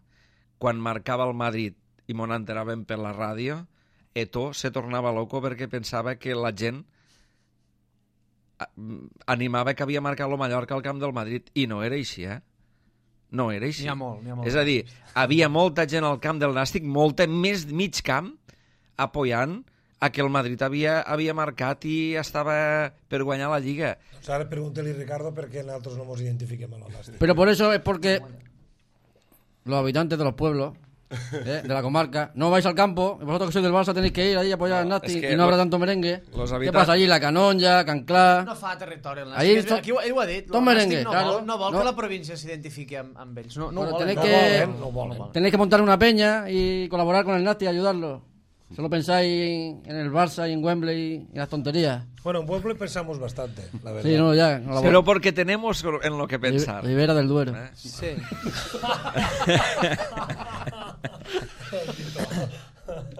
quan marcava el Madrid i m'ho enteràvem per la ràdio, Eto'o se tornava loco perquè pensava que la gent a- animava que havia marcat el Mallorca al camp del Madrid, i no era així, eh? No era així. N'hi ha molt, n'hi ha molt. És a dir, havia molta gent al camp del Nàstic, molta, més mig camp, apoyant a que el Madrid havia, havia marcat i estava per guanyar la Lliga. Doncs ara pregunta-li, Ricardo, per què nosaltres no ens identifiquem amb el Nàstic. Pero por eso es porque los habitantes de los pueblos, eh, de la comarca, no vais al campo, y vosotros que sois del Barça tenéis que ir ahí a apoyar al Nasti es que y no habrá lo- tanto merengue. los ¿Qué habitan- pasa allí? La Canonja, Canclá... No fa territori el Nàstic. Ahí És to- aquí ho- ell ho ha dit. tot el merengue, Nàstic no claro. vol, no vol No. que la província s'identifiqui amb, amb ells. No, no Bueno, ho volen. tenéis No que- volen, no volen. Tenéis que montar una peña y colaborar con el Nasti y ayudarlo. Solo pensáis en el Barça y en Wembley y las tonterías. Bueno, en Pueblo pensamos bastante, la verdad. Sí, no, ya. No la Pero porque tenemos en lo que Ri- pensar. Ribera del Duero. Eh? Sí.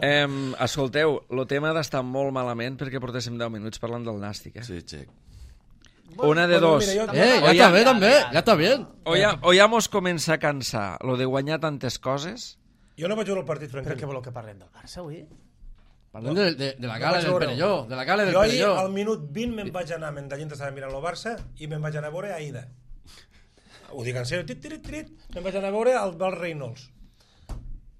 Em, escolteu, el tema d'estar molt malament perquè portéssim deu minuts parlant del Nàstic. Eh? Sí, xec. Una de Bueno, dos. mira, jo- Eh, O ya ya- está bien también, ya está bien. O ja, o ja mos comença a cansar lo de guanyar tantes coses. Jo no vaig veure el partit, Però què francament. voleu que parlem del Barça avui? Parlem de, de, de la No gala vaig del veure-ho. Perelló, de la gala del Jo ahir, Perelló. al minut vint, me'n vaig anar, mentre estava mirant el Barça, i me'n vaig anar a veure Aida. Ho dic en sèrio, tit, tit, tit, me'n vaig anar a veure el Val Reynolds.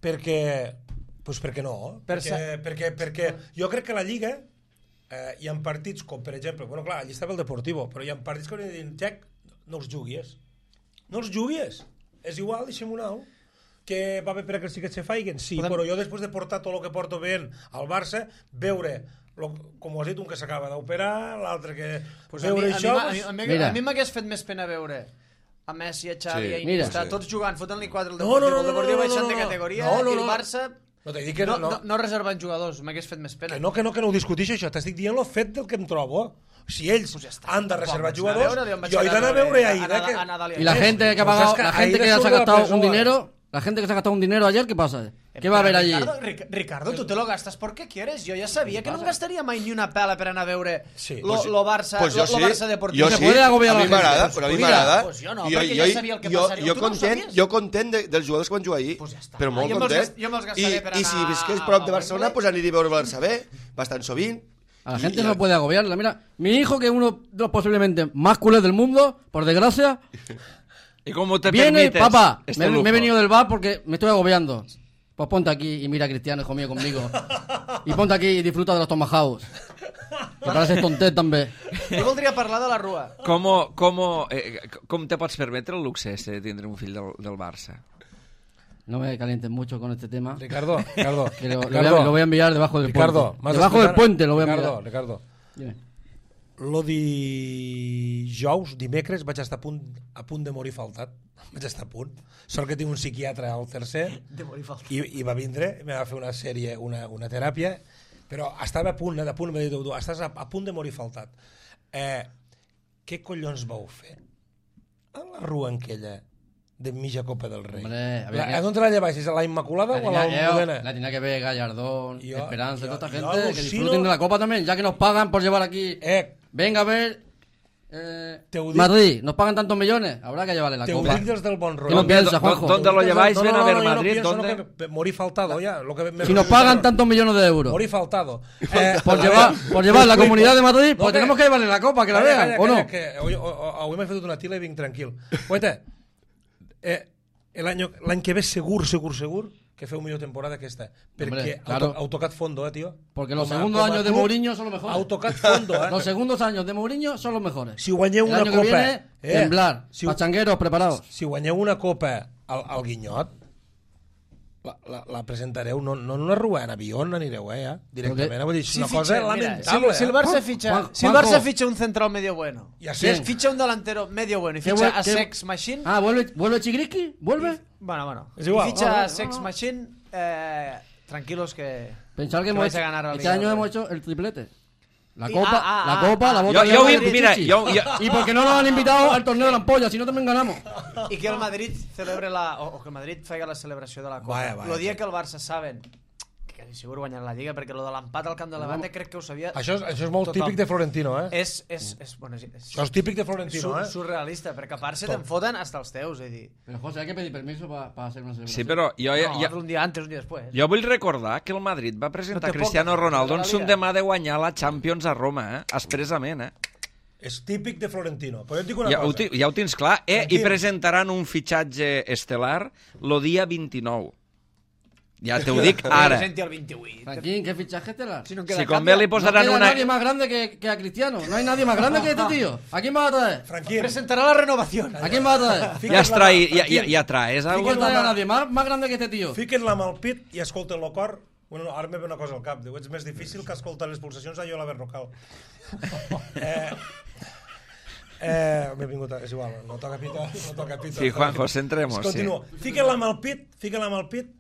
Perquè... Pues perquè no, Per perquè, perquè, perquè jo crec que la Lliga eh, hi ha partits com, per exemple, bueno, clar, allà estava el Deportivo, però hi ha partits que haurien de dir, Jack, no els juguis. No els juguis. És igual, deixem un au. Que va bé per a que sí que se faiguen, sí, Podem- però jo després de portar tot el que porto ben al Barça, veure, lo, com ho has dit, un que s'acaba d'operar, l'altre que... Pues a veure mi, a això... mi, a pues, mi, a mi, Mira. a mi m'hagués fet més pena veure a Messi, a Xavi, Sí. a Iniesta, Mira. tots jugant, fotent-li quatre al No, no, Deportivo, no, el no, Deportivo no, no, baixant no, de no. categoria, No, no, i el no. Barça No t'he dit que no, no, no, no reservant jugadors, m'hagués fet més pena. que no, que no, que no ho discutixo això, t'estic dient el fet del que em trobo. Si ells Pues ja està. han de reservar Quan vaig jugadors, anar a veure, on vaig jo he anar d'anar a a veure veure ahir. a Nadal- a Nadal Que... i Y la Eso, gente que ha pues pagado, es que la ahí gente que de se ha solo la gastado un persona. dinero, la gente que se ha gastado un dinero ayer, ¿qué pasa? ¿Qué va a haber allí? Ricardo, Ric- Ricardo, tú te lo gastas porque quieres. Yo ya sabía que no em gastaria mai ni una pela per anar a veure Sí. lo, Pues- lo Barça, pues lo, jo lo sí, Barça Deportivo. jo Se sí, puede agobiar a a mi la gente. m'agrada, Pues però a mi mira, m'agrada. pues jo no, I perquè ja sabia el que jo, passaria. Jo Tu no ho content, sabies? jo content de, dels jugadors que van jugar ahir, Pues ja està. però molt Jo me'ls content. gas- jo me'ls I, gastaré per I si anar visqués a- prop de a Barcelona, Wembley. pues aniria a veure el Barça B, bastant sovint. A la I- gente i- no puede agobiarla. Mira, mi hijo, que es uno de los posiblemente más culés del mundo, por desgracia, ¿Y cómo te viene, permites papá, este me, lujo? me he venido del bar porque me estoy agobiando. Pues ponte aquí y mira a Cristiano, hijo mío, conmigo. Y ponte aquí y disfruta de los tomahawks. Que pareces tontet també. Jo voldria parlar de la Rua. Com, com, eh, com te pots permetre el luxe este de tindre un fill del, del Barça? No me calientes mucho con este tema. Ricardo, Ricardo, Que lo, lo voy Ricardo, a, lo voy a enviar debajo del Ricardo, puente. m'has Debajo del d'explicar- puente lo voy a enviar. Ricardo, Ricardo, Dime. lo dijous, dimecres, vaig estar a punt, a punt de morir faltat. Vaig estar a punt. Sort que tinc un psiquiatre al tercer De morir faltat. i, i va vindre, i me va fer una sèrie, una, una teràpia, però estava a punt, eh, a punt, m'ha dit, tu, estàs a, a punt de morir faltat. Eh, què collons vau fer? A la rua aquella de mitja Copa del Rei. Hombre, había la, que- ¿A dónde la lleváis? ¿A la Inmaculada La o a la tenía, yo, Almudena? la tenía que ver Gallardón, Yo- Esperanza, yo- toda esta yo gente que alucino- disfruten de la Copa también, ya que nos pagan por llevar aquí. Eh, Venga a ver eh, Te ho dic- Madrid, nos pagan tantos millones, habrá que llevarle la te ho Copa. dic des del bon ¿Qué rotllo. no piensa, ¿Dónde- Juanjo? dónde lo lleváis? Ven a ver yo Madrid, pienso, ¿dónde? no, que morí faltado ya. Lo que me, Si nos pagan tantos millones de euros Morí faltado. Eh, por a llevar, ver, por llevar la explico. comunidad de Madrid, No, pues que- tenemos que llevarle la Copa, que la Calla, vean, calla, ¿o no? calla, que avui, avui m'he fet una tila i vinc tranquil. Oita, eh, l'any l'any que ve segur, segur, segur que feu millor temporada que esta. Perquè Hombre, heu, claro. to- heu tocat fondo, eh, tio. Porque los Com a- segundos com a años de club, Mourinho son los mejores. Heu tocat fondo, eh? Los segundos años de Mourinho son los mejores. Si guanyeu El una año copa... que viene, eh, temblar, si, pachangueros preparados. si guanyeu una copa al, al Guinyot, la, la, la presentareu no, no en una rua, en avió anireu, eh, ja, directament. Vull dir, és una cosa mira, lamentable. si, si el eh? Barça ficha, Juan- si el Juanjo. Barça ficha un central medio bueno, Y a si Sec. ficha un delantero medio bueno y ¿Qué ficha vuel- a qué- Sex Machine, Ah, ¿vuelve, vuelve Chigriski? ¿Vuelve? bueno, bueno, Es igual. y ficha No, no, a no, Sex no. Machine, eh, tranquilos que Pensar que, que hemos vais a hecho- ganar la este Liga, año hombre. hemos hecho el triplete. La Y- copa, ah, ah, la ah, copa, la ah. bota Yo- de yo oro vi- de Pichichi. mira, yo- yo- Y porque no nos han invitado al torneo de la ampolla, si no también ganamos. i que el Madrid celebre la, o, o que el Madrid faci la celebració de la Copa. Vaya, vaya, el dia sí. que el Barça saben que quasi segur guanyarà la Lliga, perquè lo de l'empat al camp de Levante crec que ho sabia Això és, això és molt tothom. típic de Florentino, eh? És, és, és, bueno, és, és Això és típic de Florentino, sur, eh? surrealista, perquè a part se Tot. te'n foten hasta els teus, és dir, Pero José, hay que pedir permiso para hacer una celebración. Sí, però jo, no, jo, un dia antes, un dia després. jo vull recordar que el Madrid va presentar No té Cristiano poc, Ronaldo en la son Liga. demà de guanyar la Champions a Roma, eh? expressament. Eh? És típic de Florentino. Però jo et dic una Ja, ho, cosa. ti- ja ho tens clar. Eh? I Tranquil. presentaran un fitxatge estel·lar el dia vint-i-nou. Ja te ho dic ara. Presenti el vint-i-vuit. Franquín, ¿qué fichaje estelar? Si no Si queda convé li cap, No posaran queda una... nadie más grande que, que a Cristiano. No hay nadie más grande que este tío. ¿A quién va a traer? Franquín, presentarà la renovació. ¿A quién va a traer? Ja, fiques es trai, la mà, ja, ja, Franquín. ja traes ¿A algo? quién trae a nadie más, más grande que este tío? Fiquen-la amb el pit i escolten el cor. Bueno, no, ara me ve una cosa al cap. Diu, ets més difícil que escoltar les pulsacions a jo la verrocal. eh, eh, m'he vingut a... És igual, no toca pito, no toca pito. Sí, Juanjo, centremos, sí. Continua. Fiquen-la amb el pit, fiquen-la amb el pit,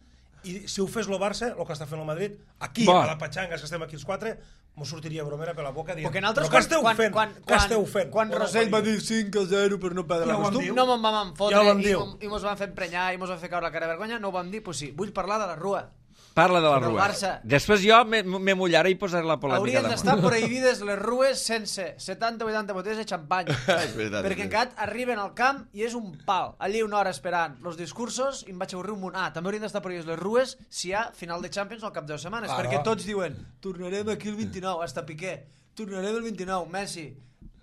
i si ho fes el Barça, el que està fent el Madrid, aquí, Bo. a la Patxanga, que estem aquí els quatre, m'ho sortiria bromera per la boca dient, Perquè nosaltres, però què esteu quan, fent? quan, Què quan, esteu fent? quan Bona Rosell va paria. dir cinc a zero per no perdre Ja la ho vam costum, dir. no me'n vam fotre Ja ho vam i, dir. i mos van fer emprenyar i mos van fer caure la cara de vergonya, no ho vam dir, pues sí, vull parlar de la Rua. Parla de la Del rua. Barça. Després jo me, me mullaré i posaré la polèmica Haurien damunt. d'estar prohibides les rues sense setanta o vuitanta botelles de xampany. És veritat, Perquè és encara arriben al camp i és un pal. Allí una hora esperant els discursos i em vaig avorrir un munt. Ah, també haurien d'estar prohibides les rues si hi ha final de Champions al cap de dues setmanes. Claro. Perquè tots diuen, tornarem aquí el vint-i-nou, hasta Piqué. Tornarem el vint-i-nou, Messi.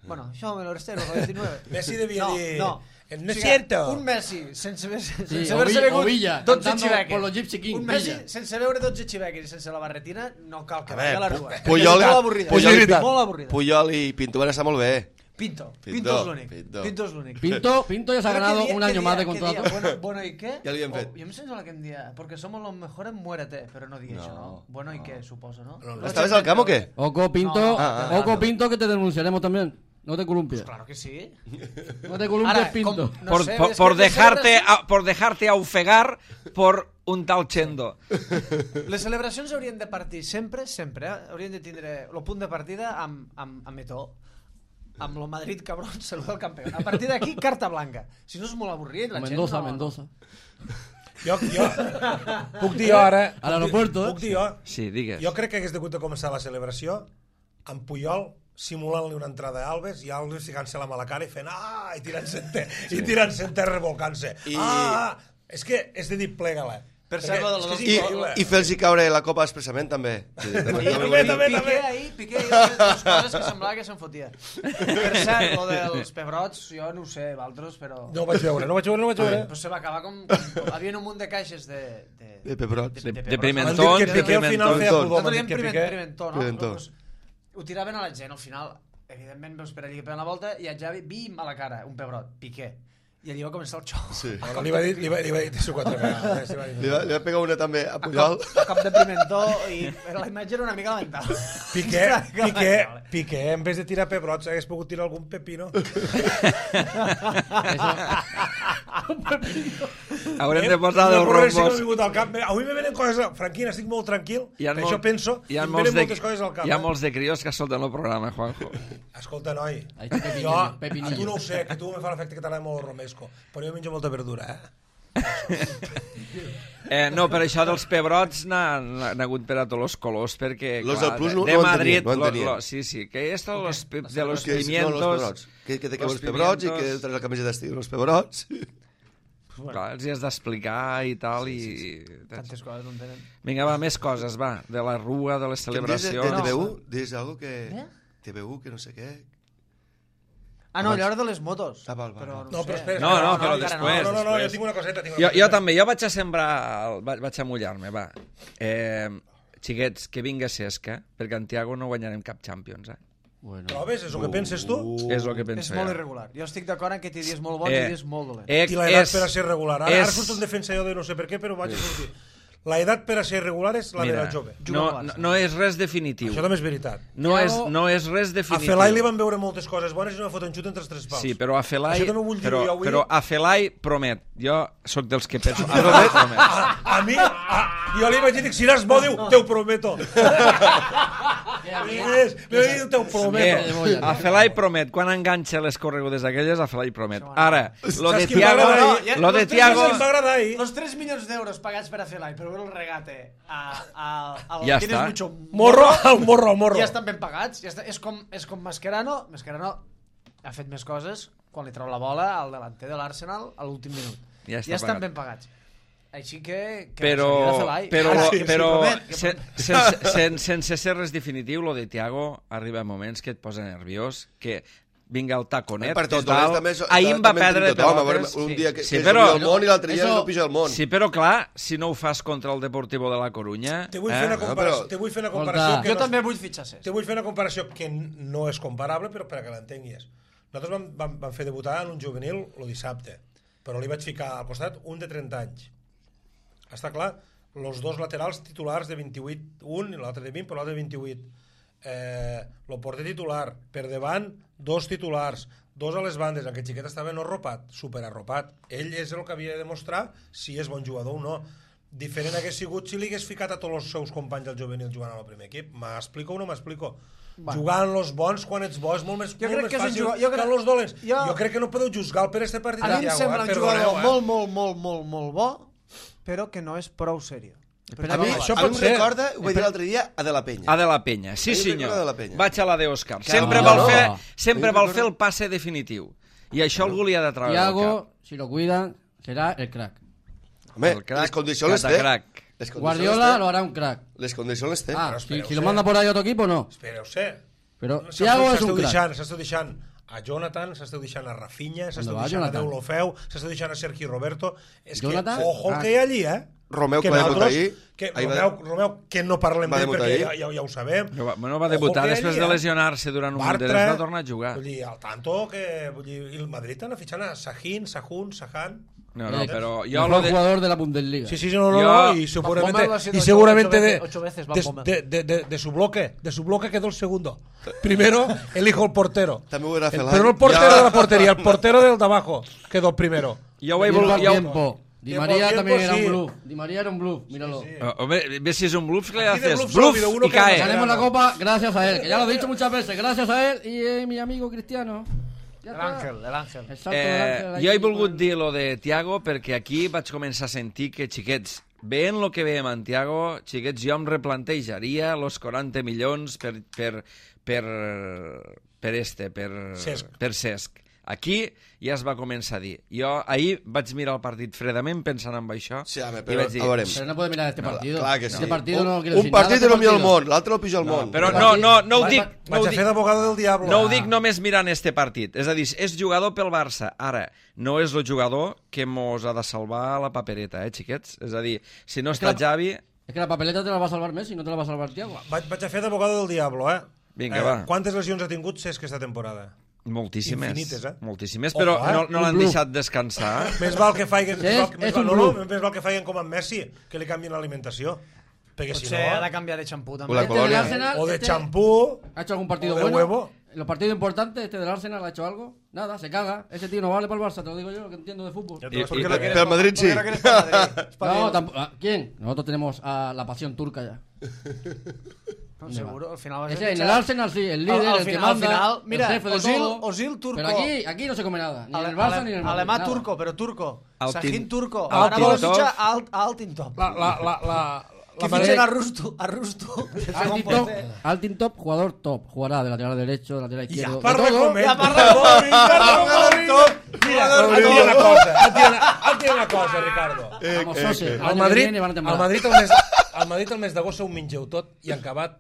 Bueno, això me lo restero, el vint-i-nou. Messi devia no, dir, No, "No es cierto". Un Messi sense, haver- sense Sí, haver-se o Villa- begut o Villa, dotze cantando xiveques. por los Gypsy Kings, Un Messi Villa. sense beure dotze xiveques i sense la barretina no cal que A vagi a la veure, rua. Pu- Puyol, És molt avorrida. Puyol, molt avorrida. Puyol i Pinto van estar molt bé. Pinto. Pinto, Pinto, és l'únic. Pinto. Pinto és l'únic. Pinto, Pinto ya se ha Pero ganado ¿qué día- un qué año día- más de qué día? contrato. Bueno, bueno, ¿y qué? Ja li hem fet. Oh, jo em sento que em dia, perquè somos los mejores, muérete, però no digui No, això, no? Bueno, ¿y qué? Suposo, no? No, no. ¿Estaves al camp o qué? Oco Pinto, No, ah, ah, Oco ah. Pinto, que te denunciaremos también. No te columpies. Claro que sí. No te columpies, Ara, Pinto. com- no por, sé, por, és por que de dejarte sobre- a, por dejarte a ofegar por un tal Chendo. Les celebracions haurien de partir sempre, sempre, eh? Haurien de tindre el punt de partida amb, amb, amb Eto'o, amb el Madrid cabrón, saluda el campió. A partir d'aquí, carta blanca. Si no és molt avorrit, la Mendoza, gent no... Mendoza. Jo, jo, puc dir jo ara... A l'aeropuerto, Puc dir jo... Sí, digues. Jo crec que hagués degut de començar la celebració amb Puyol simulant-li una entrada a Alves i Alves ficant-se la mala cara i fent ah, i tirant-se en terra, sí. i tirant-se en terra revolcant-se. I... Ah, és que és de dir plega-la. Per cert, lo de los I, i fer-los caure la copa expressament també. Sí, també, també, també. Piqué ahir, Piqué ahir, les coses que semblava que se'n fotia. Per cert, lo dels pebrots, jo no ho sé, Valtros, però... No ho vaig veure, no ho vaig veure, no ho vaig veure. Però se va acabar com... com havia un munt de caixes de... De, de pebrots. De, de, de Pimentón. pimentón. Que Piqué al final feia pudor. Nosaltres diem pimentó, no? Pimentó. Pues, ho tiraven a la gent, al final, evidentment, veus per allà que peguen la volta i a Javi, bim, a la cara, un pebrot, Piqué. I allí va començar el xou. Sí. Bueno, li va dir, li va, li va dir això quatre vegades. Eh? Li va, li va pegar una també a Puyol. A cop, a cop de pimentó i la imatge era una mica lamentable. Piqué, Piqué, Piqué, en vez de tirar pebrots, hagués pogut tirar algun pepino. Haurem de posar dels rombos. Al cap. Avui me venen coses... Franquina, estic molt tranquil, per molt, això penso, hi ha em molts venen de, moltes coses al cap. Hi ha eh? molts de crios que escolten el programa, Juanjo. Escolta, noi, Ai, que pepinillo, jo, pepinillo. a tu no ho sé, que tu me fa l'efecte que t'agrada molt el romesco, però jo menjo molta verdura, eh? Eh, no, per això dels pebrots n'ha hagut per a tots els colors, perquè... Los clar, del Plus no, de no Madrid, entenien, no entenien. Lo, lo, sí, sí, que esto de los, pe- de los Que és- pimientos... No, los pebrots. Que, que te los els pebrots i que pimientos. traes la camisa d'estiu. Los pebrots. Clar, els hi has d'explicar i tal, i... Tantes coses no entenen. Vinga, va, més coses, va, de la rua, de les Que em dius de, celebracions... de T V U, dius algo que... Eh? T V U, que no sé què... Ah, no, allò era de les motos. Ah, val, val, Però val. no, No, sé. però espera, No, no, però encara després. No, no, no, jo després. tinc una coseta, tinc una Jo, coseta. jo també, jo vaig a sembrar, el- vaig, vaig a mullar-me, va. Eh, xiquets, que vinga Cesca, perquè en Tiago no guanyarem cap Champions, eh? Bueno. Trobes? És el que penses tu? És el que És penso molt jo. irregular. Jo estic d'acord en que té dies molt bons Eh, i dies molt dolents. Eh, I l'edat és- per a ser regular. Ara, és- ara surto en defensa jo de no sé per què, però vaig a sortir. L'edat per a ser regular és la Mira, de la jove. no, no, no és res definitiu. Això també és veritat. No és, Tiago- no és res A definitiu. Felai li van veure moltes coses bones i no foten xut entre els tres pals. Sí, però a Felai... Això també ho vull dir però, jo avui. però a Felai promet. Jo sóc dels que penso... A Felai promet. A, a mi, a, jo li vaig dir, si eres bo, diu, te ho prometo. És, li vaig dir, te ho prometo. Eh, a Felai promet. Quan enganxa les corregudes aquelles, a Felai promet. Ara, lo de Saps qui Tiago... m'agrada ahir? Lo de Los tres Tiago... Em va agradar ahir. Los tres milions d'euros pagats per a Felai per veure el regate a, a, a Ja Tienes està. mucho Morro, al morro, al morro. ja estan ben pagats. Ja està. És, com, és com Mascherano. Mascherano ha fet més coses quan li treu la bola al delanter de l'Arsenal a l'últim minut. Ja està ja estan pagat. ben pagats. Així que... que Però, s'hauria de fer l'ai. però, Ah, sí, sí, però promet, que sen, sense, sen, sense ser res definitiu, lo de Tiago arriba moments que et posa nerviós, que vinga el taconet, Partits total. dolents també so- Ahir em va també en perdre tenim tothom, a pelotes. veure, un dia que, sí, que però, és el món i l'altre dia Eso- no pija el món. sí, però clar, si no ho fas contra el Deportivo de la Corunya... Te vull fer una eh? comparació, però- te vull fer una comparació Escolta. que Jo no, també vull fitxar Cesc. te vull fer una comparació que no és comparable, però per a que l'entenguis. Nosaltres vam, vam, vam fer debutar en un juvenil el dissabte, però li vaig ficar al costat un de trenta anys. Està clar? Els dos laterals titulars de vint-i-vuit, un i l'altre de vint, però l'altre de vint-i-vuit. Eh, el porter titular, per davant, dos titulars, dos a les bandes, aquest xiquet estava no arropat, superarropat. Ell és el que havia de demostrar si és bon jugador o no. Diferent hagués sigut si li hagués ficat a tots els seus companys del juvenil jugant al primer equip. M'explico o no m'explico? Bueno. Jugant los bons quan ets bo és molt més, Jo molt crec més que és un fàcil jugador- jo crec- que los dolents. jo- Jo crec que no podeu juzgar per este partit. A mi em Thiago, sembla eh? un Perdoneu, jugador eh? molt, molt, molt, molt, molt bo, però que no és prou seriós. Espera, A mi, Això a mi pot em ser. recorda, ho vaig dir l'altre dia, a De La Penya. A de la penya, sí A mi em senyor. recorda de la Penya. Vaig a la de Òscar. Que Sempre no, vol no. fer, sempre A mi vol em fer el passe definitiu. I això algú li ha de treure del Tiago, cap. si lo cuidan, será el crack. Home, El crack, les condicions les té. catacrac. Les condicions Guardiola les lo té. hará un crack. Les condicions les té. Ah, Pero si, espera, si o lo sea- manda por ahí a otro equipo, no. Espereu-se. Pero S'esteu- Thiago es un S'esteu crack. deixant, s'esteu deixant a Jonathan, s'esteu deixant a Rafinha, s'esteu va, deixant a Jonathan? Deulofeu, s'esteu deixant a Sergi Roberto. És Jonathan? que, ojo el Ah. que hi ha allí, eh? Romeu, que que va debutar nosaltres- ahir. Que, Ahir va- Romeu, Romeu, que no parlem va d'ell debutar perquè ja, ahir. ja, ja ho sabem. No va, no va debutar, Ojo que després allí, de eh? lesionar-se durant un munt de Bartra, temps, va tornar a jugar. Vull dir, al tanto que... Vull dir, i el Madrid està fitxant a Sahin, Sahun, Sahan... No, no, Eh, però jo Mejor lo de... jugador de la Bundesliga. Sí, sí, sí, no, no, Jo- no, y seguramente, Bommel lo ha sido y ocho- seguramente ocho de, veces- ocho veces Van de, Bommel. de, de, de, de su bloque, de su bloque quedó el segundo. Primero elijo el portero. També ho era El, Felai. pero no el portero Ja. de la portería, el portero del de abajo quedó primero. Jo ho he Tiempo volgut... al Jo, tiempo. Di Tiempo María al también tiempo, era sí. un bluff. Di María era un bluff, míralo. Sí, sí. Oh, hombre, ves si es un bluff, ¿qué le Aquí de haces? bluff solo ha Bluff habido uno y que no cae. Ganemos la copa gracias a él, que ya lo he dicho muchas veces. Gracias a él y eh, mi amigo Cristiano. Ja El està. Ángel, el Ángel. El salto del Ángel Eh, ahí jo he con volgut el- dir lo de Tiago perquè aquí vaig començar a sentir que, xiquets, veient el que veiem en Tiago, xiquets, jo em replantejaria los quaranta milions per, per, per, per este, per Cesc. per Cesc. Aquí ja es va començar a dir. Jo ahir vaig mirar el partit fredament pensant en això Sí, home, i però vaig dir... a veure, Pero no puede mirar este partido. clar que sí. Este partido un, no quiere un decir nada. partit este és el millor del partido. món, l'altre el pitjor del món. Però Va- no, no, no ho va- dic... va- No ho Vaig a dic, fer d'abogado del diablo. no ho dic només mirant este partit. És a dir, és jugador pel Barça. Ara, no és el jugador que mos ha de salvar la papereta, eh, xiquets? És a dir, si no està que la- Xavi... Es que la papeleta te la va a salvar Messi, no te la va a salvar Thiago. Vaig, vaig a fer d'abogado del diablo, eh? Vinga, eh, va. Quantes lesions ha tingut Cesc aquesta temporada? Moltíssimes. Infinites, eh? Moltíssimes, Ojo, però eh? no, no Un l'han bluff. deixat descansar. Més val que faiguen, més Sí, val, més és val, un no, no, bluff. més val que faiguen com amb Messi, que li canvien l'alimentació. Perquè si Potser ha de no... canviar de xampú, O també. la Este del colonia. Arsenal, O de este champú... ¿Ha hecho algún partido o de bueno? huevo. En los partidos importantes, este del Arsenal ha hecho algo. Nada, se caga. Ese tío no vale para el Barça, te lo digo yo, que entiendo de fútbol. Ja I- te i- lo- Pero el Madrid sí. ¿Por qué no quieres para Madrid? Es para No, Dios. tampoco. ah, ¿Quién? Nosotros tenemos a la pasión turca ya. No, seguro, al final vas a Ese, en el fichar- Arsenal sí, el Al- líder, al el que final- al manda, final, mira, el jefe de Ozil- todo. Ozil turco. Pero aquí, aquí no se come nada, ni en Ale- el Barça ale- ni en el Madrid. Alemà nada. turco, però turco. Altin- Sahin turco. Altin- Ara vol Top. fitxar a Alt- a Altintop. La, la, la, la, Que la fitxen manera- a Rustu. A Rustu. Altin top, Altin top, jugador top. Jugará de lateral derecho, de lateral Ja izquierdo. de parla todo. com ell. Ja parla com ell. Parla com ell. Mira, et diré una cosa, et diré una, et diré una cosa, Ricardo. Vamos, Sose. El Al año que Madrid, viene van a temblar. al Madrid el mes, al Madrid el mes d'agost ho mengeu tot i en acabat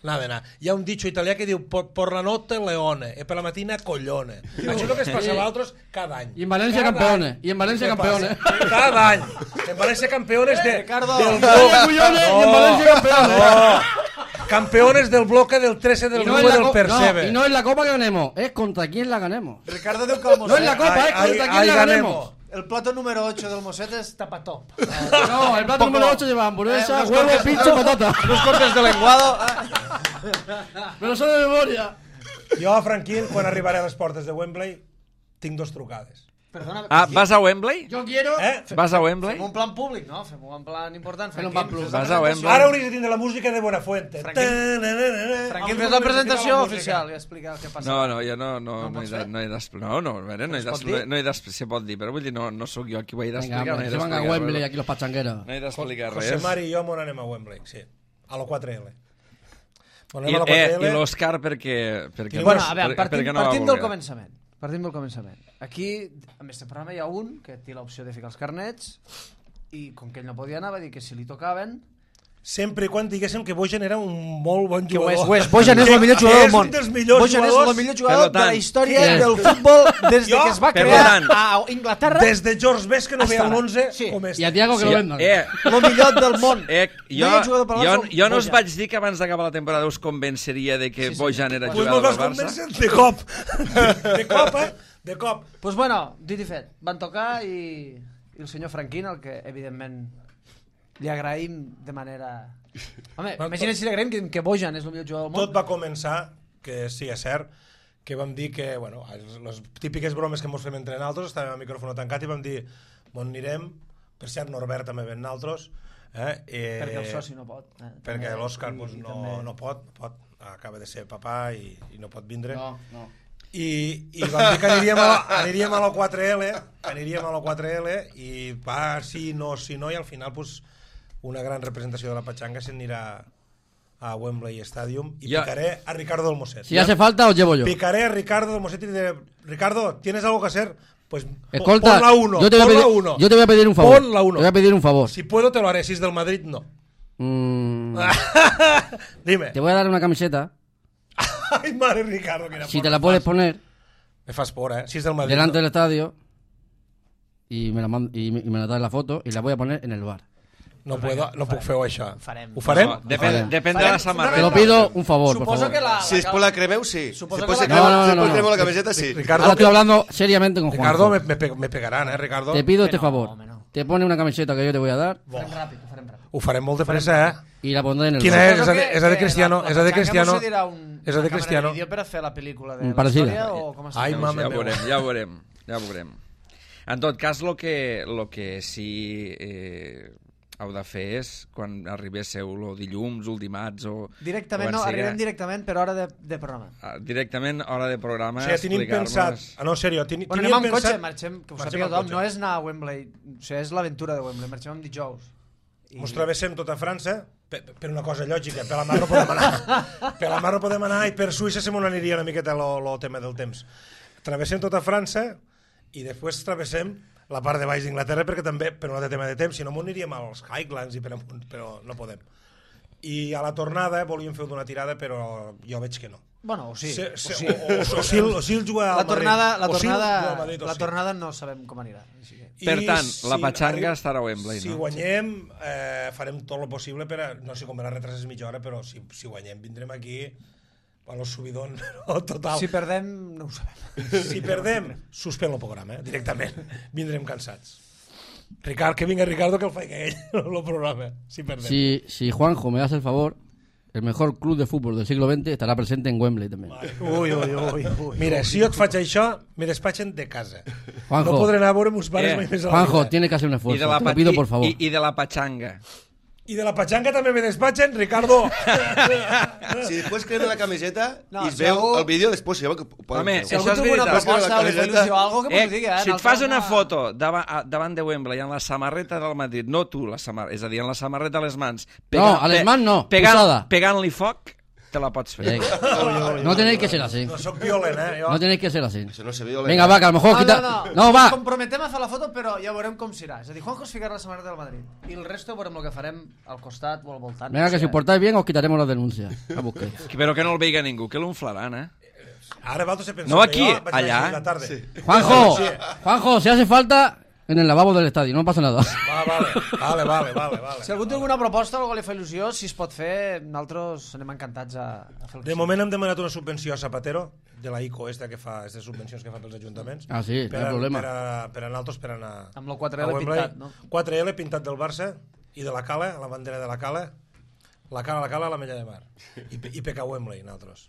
nada, nada. Hi ha un dicho italià que diu por, por la notte leone e per la mattina coglione. Això és el que es passa a l'altres cada any. I en València Cada campeones. any. I en València Què campeones. passa? Cada any. En València campeones de, Ricardo. del València collones y en Valencia campeones. No. Campeones del bloque del trece del Y no, nueve es la del co- Perseve. no, y no es la copa que ganemos, es contra quién la ganemos. Ricardo diu que el No es Mosset... la copa, es Ay, contra ay, quién ay, la ganemos. ganemos. El plato número ocho del Mosset és tapatop. No, el plato Poco- número ocho lleva hamburguesa, Eh, unos huevo, cortes- pincho y patata. Unos cortes de lenguado. Pero son de memoria. Jo, Franquín, quan arribaré a les portes de Wembley, tinc dos trucades. Perdona, Ah, vas a Wembley? Yo quiero... Eh? Vas a Wembley? fem un plan públic, no? Fem un plan important. Fem un Franquín, plan plus. fes la Vas a presentació. Wembley. Ara hauries de tindre la música de Buenafuente. Franquín- Franquín, Franquín, fes la presentació oficial i explica què passa. No, no, jo no, no, No no, he pots de, fer? no he d'explicar. No, no, a veure, no he Es pot d'explicar. dir? No he d'explicar, se pot dir, però vull dir, no, no sóc jo qui ho he Venga, d'explicar. No he hombre, se van a d'explicar Wembley res. aquí los pachangueros. No he d'explicar José res. Mari i jo m'on anem a Wembley, sí. A la quatre L. Bueno, I, anem a la eh, quatre L. i l'Òscar perquè, perquè, Bueno, no- a veure, per- partim, perquè no va partim del voler. començament. Partim del començament. Aquí, en este programa hi ha un que té l'opció de ficar els carnets i com que ell no podia anar va dir que si li tocaven Sempre i quan diguéssim que Bojan era un molt bon que ho jugador. és, ho és. Bojan és Que- el millor que jugador del és món. un dels millors Bojan és jugadors el millor jugador Per de la tant, història que- del futbol des de Jo, que es va per crear tant, a Inglaterra. Des de George Best que no Hasta veia ara. l'onze Sí. com este. Y a Tiago que Sí, lo vendan. eh, El millor del món. Eh, No jo, hi ha jugador per jo, Barça, jo no us Bojan. vaig dir que abans d'acabar la temporada us convenceria de que Sí, sí. Bojan era Pues jugador mos del vas Barça. convèncer de cop. De cop, eh? De cop. Pues bueno, dit i fet, van tocar i, i el senyor Franquín, el que evidentment li agraïm de manera... Home, Bueno, imagina't si li agraïm que, que Bojan és el millor jugador del món. Tot va començar, que sí, és cert, que vam dir que, bueno, les típiques bromes que mos fem entre nosaltres, estàvem amb el micròfon tancat i vam dir, on anirem, per cert, Norbert també ven nosaltres, eh? eh Perquè el soci no pot. Eh? perquè També- l'Òscar i- pues, i no, també- no pot, no pot, acaba de ser papà i, i no pot vindre. No, no. I, i vam dir que aniríem a, aniríem a la quatre L, aniríem a la quatre L i va, sí, no, sí, no, i al final pues, una gran representació de la Pachanga s'anirà a Wembley Stadium y Ya. picaré a Ricardo del Mosset. Si hace falta, os llevo yo. Picaré a Ricardo del Mosset y diré, Ricardo, ¿tienes algo que hacer? Pues po- Escolta, pon la uno, yo te, voy a pon la pedir, uno. yo te voy a pedir un favor. Pon la uno. Te voy a pedir un favor. Si puedo te lo haré, si es del Madrid, no. Mm, Dime. te voy a dar una camiseta. Ay, madre Ricardo, que era Si por te la me puedes fas. poner Me fas por, eh? Si es del Madrid. delante no. del estadio y me la mand- y, me- y me la das la foto y la voy a poner en el bar. No puedo, no puc fer-ho això. farem. Ho farem? No, depèn, Farem. depèn de la Te samarreta. lo pido un favor, por Suposo favor. que la... Si es por la cremeu, sí. Suposo si que pues la- se crema, No, no, si no, pues no. crema la camiseta, sí. Ricardo, Ahora estoy que- hablando seriamente con Juan. Ricardo me, me, pe- me pegaran, eh, Ricardo? Te pido este no, favor. home, no. Te pone una camiseta que yo te voy a dar Ho farem ràpid, ho farem ràpid. Ho farem molt de pressa, eh? y la pondré en el Quina bar. és? Suposo És a de- que- és a de que Cristiano, la- la és a de Pachanga Cristiano. procedirà un, És a de una Cristiano. càmera de vídeo per a fer la pel·lícula de Mm, la parecida. història o com es Ai, diu? mama Ja ho meva. veurem, ja ho veurem, ja ho veurem. En tot cas, el que, lo que sí eh, heu de fer és, quan arribéssiu el dilluns, el dimarts o... Directament, quan no, siga, arribem directament per hora de, de programa. ah, directament, hora de programa, O sigui, tenim pensat... explicar-nos... Ah, no, en sèrio, ten, Bueno, teníem anem amb pensat... cotxe, marxem, que ho Marxem sàpiga amb tothom, cotxe. no és anar a Wembley, o sigui, és l'aventura de Wembley, marxem amb dijous. I... Mos travessem tota França per, per una cosa lògica, per la mar no podem anar. Per la mar no podem anar i per Suïssa se m'ho aniria una miqueta el tema del temps. Travessem tota França i després travessem la part de baix d'Inglaterra perquè també, per un altre tema de temps, si no m'ho aniríem als Highlands i per amunt, però no podem. I a la tornada volíem fer una tirada, però jo veig que no. Bueno, o sí. Se, se, o sí. O, o, o, Sil, o Sil juga al La tornada, la Madrid. tornada, O Sil juga al Madrid, o la sí. tornada no sabem com anirà. Així que... Per I tant, la si patxanga arriba- estarà a Wembley, si no? guanyem, eh, farem tot el possible per a... No sé com la retrases mitja hora, però si, si guanyem vindrem aquí a los subidón total. Si perdem, no ho sabem. Si perdem, suspèn el programa, eh, directament. Vindrem cansats. Ricard, que vinga Ricardo que el faig ell, el programa, si perdem. Si, si Juanjo me hace el favor, el mejor club de fútbol del siglo veinte estará presente en Wembley también. Ui, ui, ui, ui. Mira, si jo et faig això, me despatxen de casa. Juanjo. No podré anar a veure meus pares Eh, mai més a la Juanjo, vida. tiene que hacer un I esfuerzo. de la, Te pa- lo pido, i- por favor. I, I de la patxanga. I de la patxanga també me despatxen, Ricardo. Si després crema la camiseta No, i es si veu algú- el vídeo, després si ho podem Home, fer. Si això algú és té una veritat. proposta o li fa Camiseta- il·lusió o alguna cosa, que Eh, m'ho digui, eh? si et Nosaltres fas una no- foto davant, a- davant de Wembley amb la samarreta del Madrid, no tu, la samarreta, és a dir, amb la samarreta a les mans... No, a les mans no, pegant, posada. Pegant-li foc, te la pots fer. Venga. No tenéis que ser así. No soc violent, eh? Jo... No tenéis que ser así. Això no se veu. Venga, va, que a lo mejor No, quita... no, no. No, va. Ens comprometem a fer la foto, però ja veurem com serà. És a dir, Juanjo es ficarà la samarreta del Madrid. I el resto veurem el que farem al costat o al voltant. Venga, No que sé. si os portáis bien os quitaremos las denuncias. A busquéis. Però que no el veiga ningú, que l'unflaran, eh? Ara vosaltres he pensat No aquí, que jo vaig allà. anar a la tarda. Sí. Juanjo, Sí. Juanjo, si hace falta, en el lavabo del estadio, no pasa nada. Va, vale, vale, vale, vale, vale. Si algú té alguna proposta o algú li fa il·lusió, si es pot fer, nosaltres anem encantats a, a fer el que De moment hem demanat una subvenció a Zapatero, de la ICO, esta que fa, aquestes subvencions que fa pels ajuntaments. Ah, sí, per no hi ha a, problema. Per a, per a nosaltres, per anar Amb el quatre a L Wembley. pintat, no? quatre L pintat del Barça i de la Cala, la bandera de la Cala, la Cala, la Cala, la Mella de Mar. I, pe- i P K Wembley, nosaltres.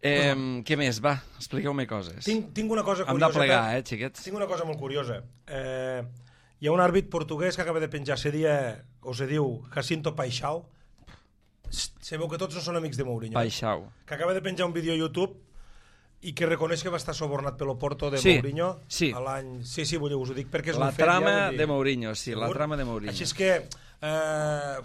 Eh, què més? Va, expliqueu-me coses. Tinc, tinc una cosa Hem curiosa. de plegar, per- eh, xiquets? Tinc una cosa molt curiosa. Eh, hi ha un àrbit portuguès que acaba de penjar, se, dia, o se diu Jacinto Paixão. Se veu que tots no són amics de Mourinho. Paixau. Que acaba de penjar un vídeo a YouTube i que reconeix que va estar sobornat pel Oporto de Sí, Mourinho sí. a l'any... Sí, sí, vull dir, us ho dic perquè és La un fet. trama ja, vull dir. de Mourinho, sí, la Segur? trama de Mourinho. Així és que eh,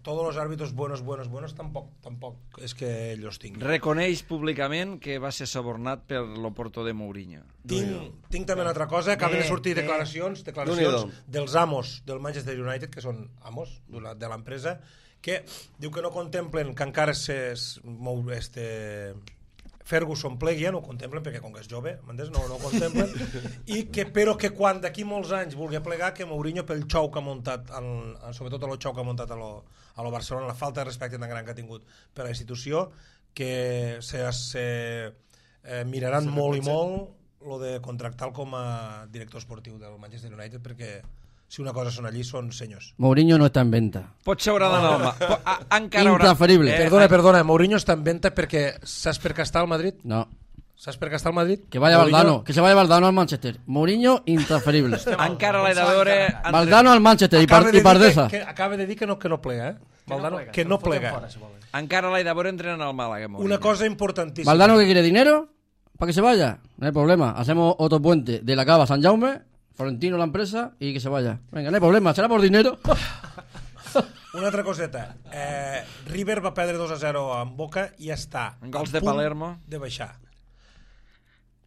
todos los árbitros buenos, buenos, buenos tampoc, tampoc és que ells los tinguin. Reconeix públicament que va ser subornat per l'Oporto de Mourinho. Tinc, tinc també una altra cosa, acaben de Bé, sortir bé. declaracions, declaracions Déu-n'hi-do. dels amos del Manchester United, que són amos d'una- de l'empresa, que diu que no contemplen que encara se, es mou este, Ferguson plegui, ja no ho contemplen perquè com que és jove, m'entens? No, no ho contemplen, i que, però que quan d'aquí molts anys vulgui plegar, que Mourinho pel xou que ha muntat, en, en, sobretot el xou que ha muntat a lo, a lo Barcelona, la falta de respecte tan gran que ha tingut per a la institució, que se, se eh, miraran molt i molt lo de contractar com a director esportiu del Manchester United, perquè si una cosa són allí són senyors. Mourinho no está en venta. Pot seure de Noma. Po- a- Encara haurà... Intransferible. Eh, Perdona, perdona, Mourinho està en venta perquè saps per què està al Madrid? No. Saps per què està al Madrid? Que vaya Mourinho- Valdano. Que se vaya Valdano al Manchester. Mourinho, intransferible. Encara l'he de veure... entre- Valdano al Manchester y, Acaba par de y dir Pardesa. que, que, acaba de dir que no, que no plega, eh? Valdano, que no plega. Fora, si volen. Encara l'he de veure entrenant al Màlaga, Mourinho. Una cosa importantíssima. Valdano que quiere dinero para que se vaya. No hay problema. Hacemos otro puente de la Cava a San Jaume, Florentino la empresa y que se vaya. Venga, no hay problema. Será por dinero. Una altra coseta. Eh, River va perdre dos a zero amb Boca i està En gols a de punt Palermo. de baixar.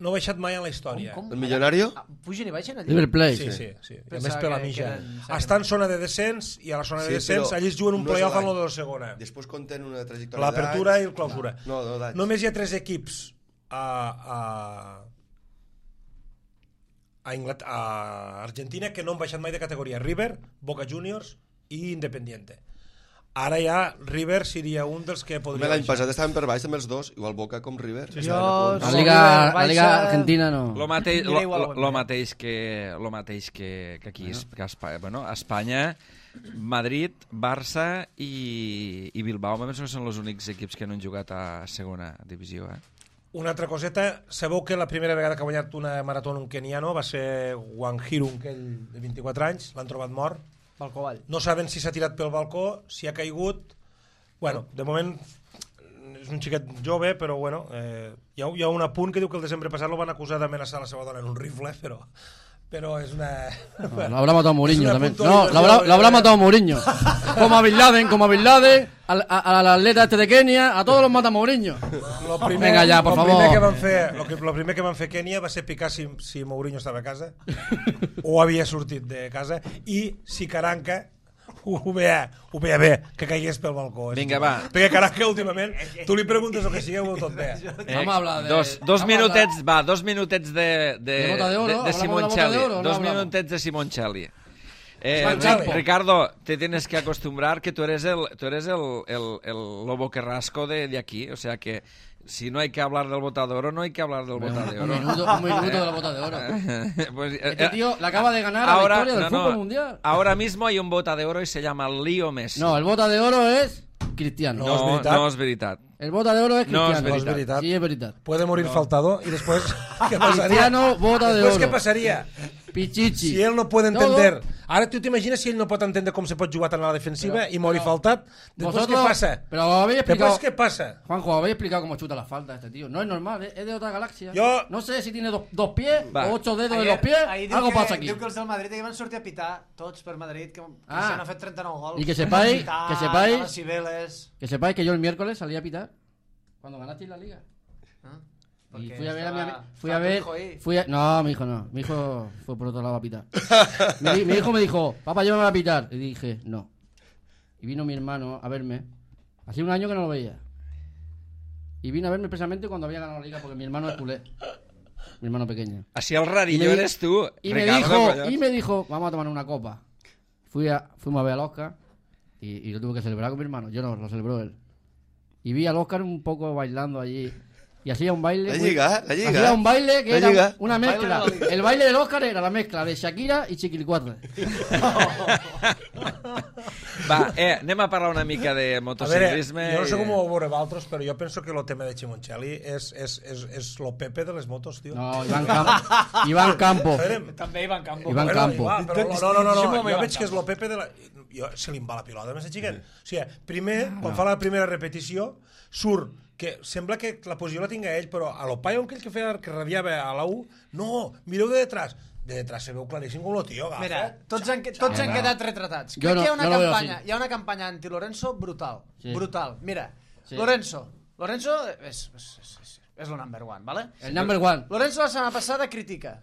No ha baixat mai en la història. Com, com? El millonario? Ah, pugen i baixen allà? River Plate. Sí, sí, sí. I a Pensava més per la que- mitja. que eren- Està en zona de descens i a la zona de Sí, descens però allí es juguen un no és playoff l'any. en lo de la segona. Després compten una trajectòria L'apertura i d'anys. el clausura. No, no, d'anys. Només hi ha tres equips a, a, a, Inglat a Argentina que no han baixat mai de categoria. River, Boca Juniors i Independiente. Ara ja River seria un dels que Home, podria l'any baixar. passat estaven per baix també els dos, igual Boca com River. Sí, sí. Jo... La si Liga, River la Liga baixa- Argentina no. Lo mateix, lo, Aniré igual a lo, Wembley. lo mateix que lo mateix que, que aquí bueno. que a Espanya, bueno, a Espanya, Madrid, Barça i, i Bilbao, em penso que són els únics equips que no han jugat a segona divisió, eh? Una altra coseta, sabeu que la primera vegada que ha guanyat una marató un keniano va ser Wanjiru, aquell de vint-i-quatre anys, l'han trobat mort. Balcó avall. No saben si s'ha tirat pel balcó, si ha caigut. Bueno, de moment és un xiquet jove, però bueno, eh, hi, ha, hi ha un apunt que diu que el desembre passat lo van acusar d'amenaçar la seva dona en un rifle, però... Pero es una... No, lo habrá matado Mourinho también. No, lo habrá, lo habrá matado Mourinho. Como a Bin Laden, como a Bin Laden, al, a, al atleta este de Kenia, a todos los mata Mourinho. Lo primer, Venga ya, por lo favor. Primer que van fer, lo, que, lo primer que van fer Kenia va ser picar si, si Mourinho estava a casa o havia sortit de casa i si Caranca ho veia, ho veia bé, que caigués pel balcó. Vinga, va. Perquè Caranca últimament, tu li preguntes el que sigui, ho veu tot bé. Eh, Vamos a hablar de... Dos, dos minutets, va, dos minutets de, de, ¿De bota de oro? de, de ¿Hablamos de la Simoncelli. bota de oro o no Dos hablamos? minutets de Simoncelli. Eh, Simoncelli. Ri- Ricardo, te tienes que acostumbrar que tú eres el, tú eres el, el, el lobo carrasco de, de aquí, o sea que si no hay que hablar del bota de oro, no hay que hablar del bota de Un oro. minuto, un minuto de la bota de oro. Pues, Este eh, tío le acaba de ganar ahora, a la victoria del no, no, fútbol mundial. ahora mismo hay un bota de oro y se llama Leo Messi. No, el bota de oro es Cristiano. No, és no, veritat. no és veritat. El bota de oro es No Cristiano. es No és veritat. Sí, es verdad. Puede morir faltado y después... ¿Qué pasaría? Cristiano, bota de Después, oro. ¿qué pasaría? Pichichi. Si ell no pot Todo. entender... Ara tu t'imagines si ell no pot entendre com se pot jugar tant a la defensiva Pero- i morir pero- faltat? Després Vosotros- què passa? Pero habéis explicado... Després què passa? Juanjo, habéis explicado cómo chuta la falta este tío. No es normal, ¿eh? Es de otra galaxia. Yo- No sé si tiene dos, dos pies Va. o ocho dedos en Ayer- los pies. ahir diu Algo que, pasa aquí. Diu que els del Madrid que van sortir a pitar tots per Madrid, que Ah. Cristiano ha fet trenta-nou gols. Y que sepáis- Pitar, que sepáis- a les Cibeles. Que sepáis que yo el miércoles salí a pitar cuando ganasteis la liga. Ah, Y perquè fui a ver a mi estava- ami- Fui estava a ver... tu hijo ahí. Fui a... No, mi hijo no. Mi hijo fue por otro lado a pitar. mi, mi hijo me dijo, papá, llévame a pitar. Y dije, no. Y vino mi hermano a verme. Hacía un año que no lo veía. Y vino a verme precisamente cuando había ganado la liga, porque mi hermano es culé. Mi hermano pequeño. Así el Y rarillo me di- eres tú, Y me, Ricardo, dijo, coño. y me dijo, vamos a tomar una copa. Fui a, fuimos a ver al Oscar y, y lo tuve que celebrar con mi hermano. Yo no, lo celebró él. Y vi al Oscar un poco bailando allí. Y hacía un baile. La muy- Lliga, la Lliga. Hacía un baile que La era Lliga. una mezcla. Baile de la Liga. El baile del Oscar era la mezcla de Shakira y Chiquilicuatre. Va, eh, anem a parlar una mica de A veure, motociclisme. jo no sé i com de- ho veureu altres, però jo penso que el tema de Simoncelli és, és, és, és lo Pepe de les motos, tio. No, Iván Campo. Iván Campo. Esperem. També Ivan Campo. Iván Bueno, Campo. Iván, però no, no, no, no, Deixa'm-ho jo amb Iván veig que és Campo. lo Pepe de la... Jo, se li em va la pilota, més xiquet. O sigui, primer, quan fa la primera repetició, surt que sembla que la posició la tinga ell, però a lo paio aquell que feia que radiava a la U, no, mireu de detrás. De detrás se veu claríssim com lo tio agafa. Mira, tots han, tots han quedat retratats. Jo Crec no- que hi ha una no lo veo campanya, así. hi ha una campanya anti-Lorenzo brutal. Sí. Brutal. Mira, Sí. Lorenzo. Lorenzo és, és, és, és, és el number one, ¿vale? El number one. Lorenzo la setmana passada critica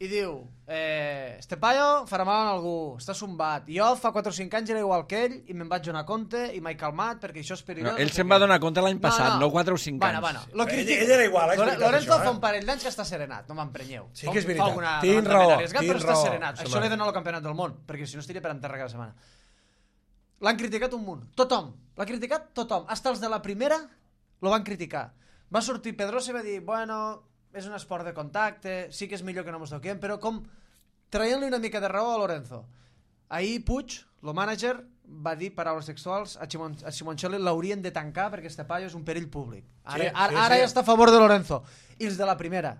i diu eh, este paio farà mal a algú, està sombat. Jo fa quatre o cinc anys era igual que ell i me'n vaig donar compte i m'he calmat perquè això és perillós. No, ell no sé se'n què. va donar compte l'any passat, no quatre o cinc bueno, anys. Bueno, lo Ell- critica. ell era igual, és Lore- veritat, Lorenzo això, eh? fa un parell d'anys que està serenat, no m'emprenyeu. Sí Fa- que és fa veritat. alguna Tinc levantament raó, arriesgat, tinc però està raó, serenat. sí, Això li home. dona el campionat del món, perquè si no estaria per enterrar cada setmana. L'han criticat un munt. Tothom. L'ha criticat tothom. Hasta els de la primera lo van criticar. Va sortir Pedrosa i va dir, bueno, és un esport de contacte, sí que és millor que no mos toquem, però com traient-li una mica de raó a Lorenzo. Ahir Puig, el mànager, va dir paraules textuals a, Simon, a Simoncelli l'haurien de tancar perquè este paio és un perill públic. Ara, Sí, ara, sí, ara sí. ja està a favor de Lorenzo. I els de la primera,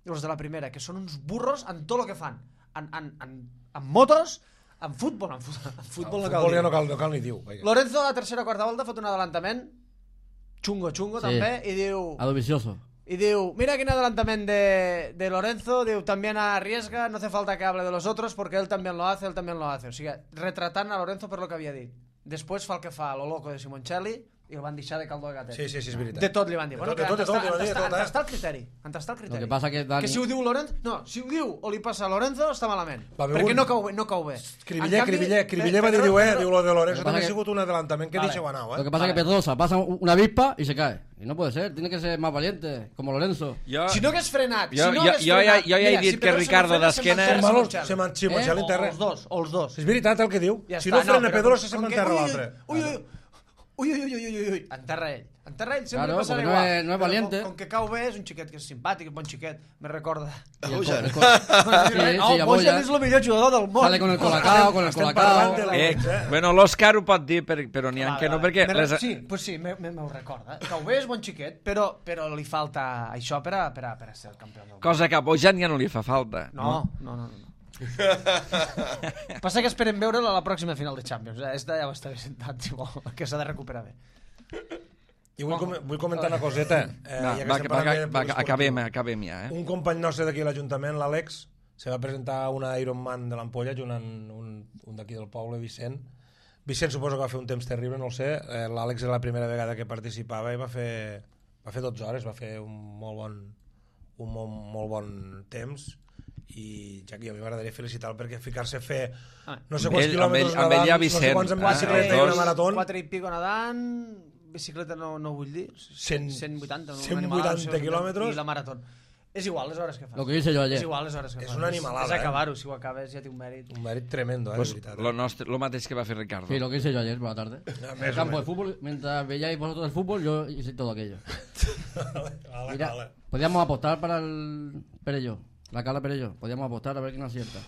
els de la primera, que són uns burros en tot el que fan. En, en, en, en motos, en futbol, en, fu- en futbol, El no cal futbol ja dir. no cal, no cal ni diu. Vaja. Lorenzo a la tercera o quarta volta ha fet un adelantament xungo, xungo Sí. també, i diu... A lo vicioso. Y digo, mira qué adelantamiento de, de Lorenzo, digo, también arriesga, no hace falta que hable de los otros porque él también lo hace, él también lo hace. O sea, retratant a Lorenzo per lo que havia dit. Després fa el que fa lo loco de Simoncelli i el van deixar de caldo de gatet. Sí, sí, sí, és veritat. De tot li van dir. De Bueno, tot, de que tot, de tot, li van dir de tot, eh? on està el criteri? On està el criteri? Lo que pasa que Dani- Que si ho diu Lorenzo... No, si ho diu o li passa a Lorenzo, està malament. Va haver Perquè un- no cau bé. No cau bé. Cribiller, En canvi, Cribiller, Cribiller va dir, Pedro- diu, eh, Pedro- diu lo de Lorenzo, Lo que pasa també ha que- sigut un adelantament que Vale. deixeu anar, Lo eh? que pasa es que Pedrosa pasa un- una avispa y se cae. Y no puede ser, tiene que ser más valiente, como Lorenzo. Jo, Si no hagués frenat, Jo- si no jo- hagués jo ja- frenat... jo ja he Mira, dit si que Pedro Ricardo se m'enfrena, d'esquena- se'n Són va malos, enterrar se m'han Simoncelli Eh? en terra. O els dos, o els dos. És veritat el que diu. Ja Si està, no frena però Pedrosa se com que- m'enterra ui, l'altre. Ui, ui, Ui, ui, ui, ui, ui, ui, enterra ell. Enterra ell, sempre Claro, passarà porque no igual. es- no es Però valiente. Com, com que cau bé, és un xiquet que és simpàtic, un bon xiquet, me recorda. Y el Bojan. co- el co- Sí, no, sí, Bojan Bojan. és el millor jugador del món. Sale con el colacao, con el Estem parlant de colacao. la- Eh, eh? bueno, l'Òscar ho pot dir, per, però n'hi ha Vale, que no, vale. perquè... Me- Les... Sí, pues sí, me, me, me ho recorda. Cau bé, és bon xiquet, però, però li falta això per a, per a, per a ser el campió del món. Cosa que a Bojan ja no li fa falta. No, no, no, no. no. Passa que esperem veure-la a la pròxima final de Champions. Eh? Esta ja ho està sentat, si vol, que s'ha de recuperar bé. I vull, com vull comentar una coseta. Eh, Va, ja que va, estem va, parlant de va, polisportiu. acabem, acabem ja, eh? Un company nostre d'aquí a l'Ajuntament, l'Àlex, se va presentar una Ironman de l'Ampolla, un, un, un d'aquí del poble, Vicent. Vicent suposo que va fer un temps terrible, no ho sé. Eh, L'Àlex era la primera vegada que participava i va fer, va fer dotze hores, va fer un molt bon, un molt, molt bon temps. I ja que a mi m'agradaria felicitar-lo perquè ficar-se a fer no sé quants Amb ell- amb quilòmetres ell- amb ell hi ha nedant, no sé Vicent, quants en eh? bicicleta i Els una dos. marató. Quatre i pico nedant, bicicleta no, no vull dir, Cent- cent vuitanta, no? cent Una animalada, vuitanta no sé, quilòmetres. I la marató. És igual les hores que fas. Lo que hice yo ayer. És igual les hores que És fas. una animalada, És eh? acabar-ho, si ho acabes ja té un mèrit. Un mèrit tremendo, eh, Pues, de veritat. lo, nostre, lo mateix que va fer Ricardo. Sí, lo que hice yo ayer por la tarde. Ah, En més el o campo de menys. fútbol, mientras veíais vosotros el fútbol, yo hice todo aquello. Vale, Mira, vale. podíamos apostar para el Perelló, la Cala Perelló. Podíamos apostar a ver quién acierta.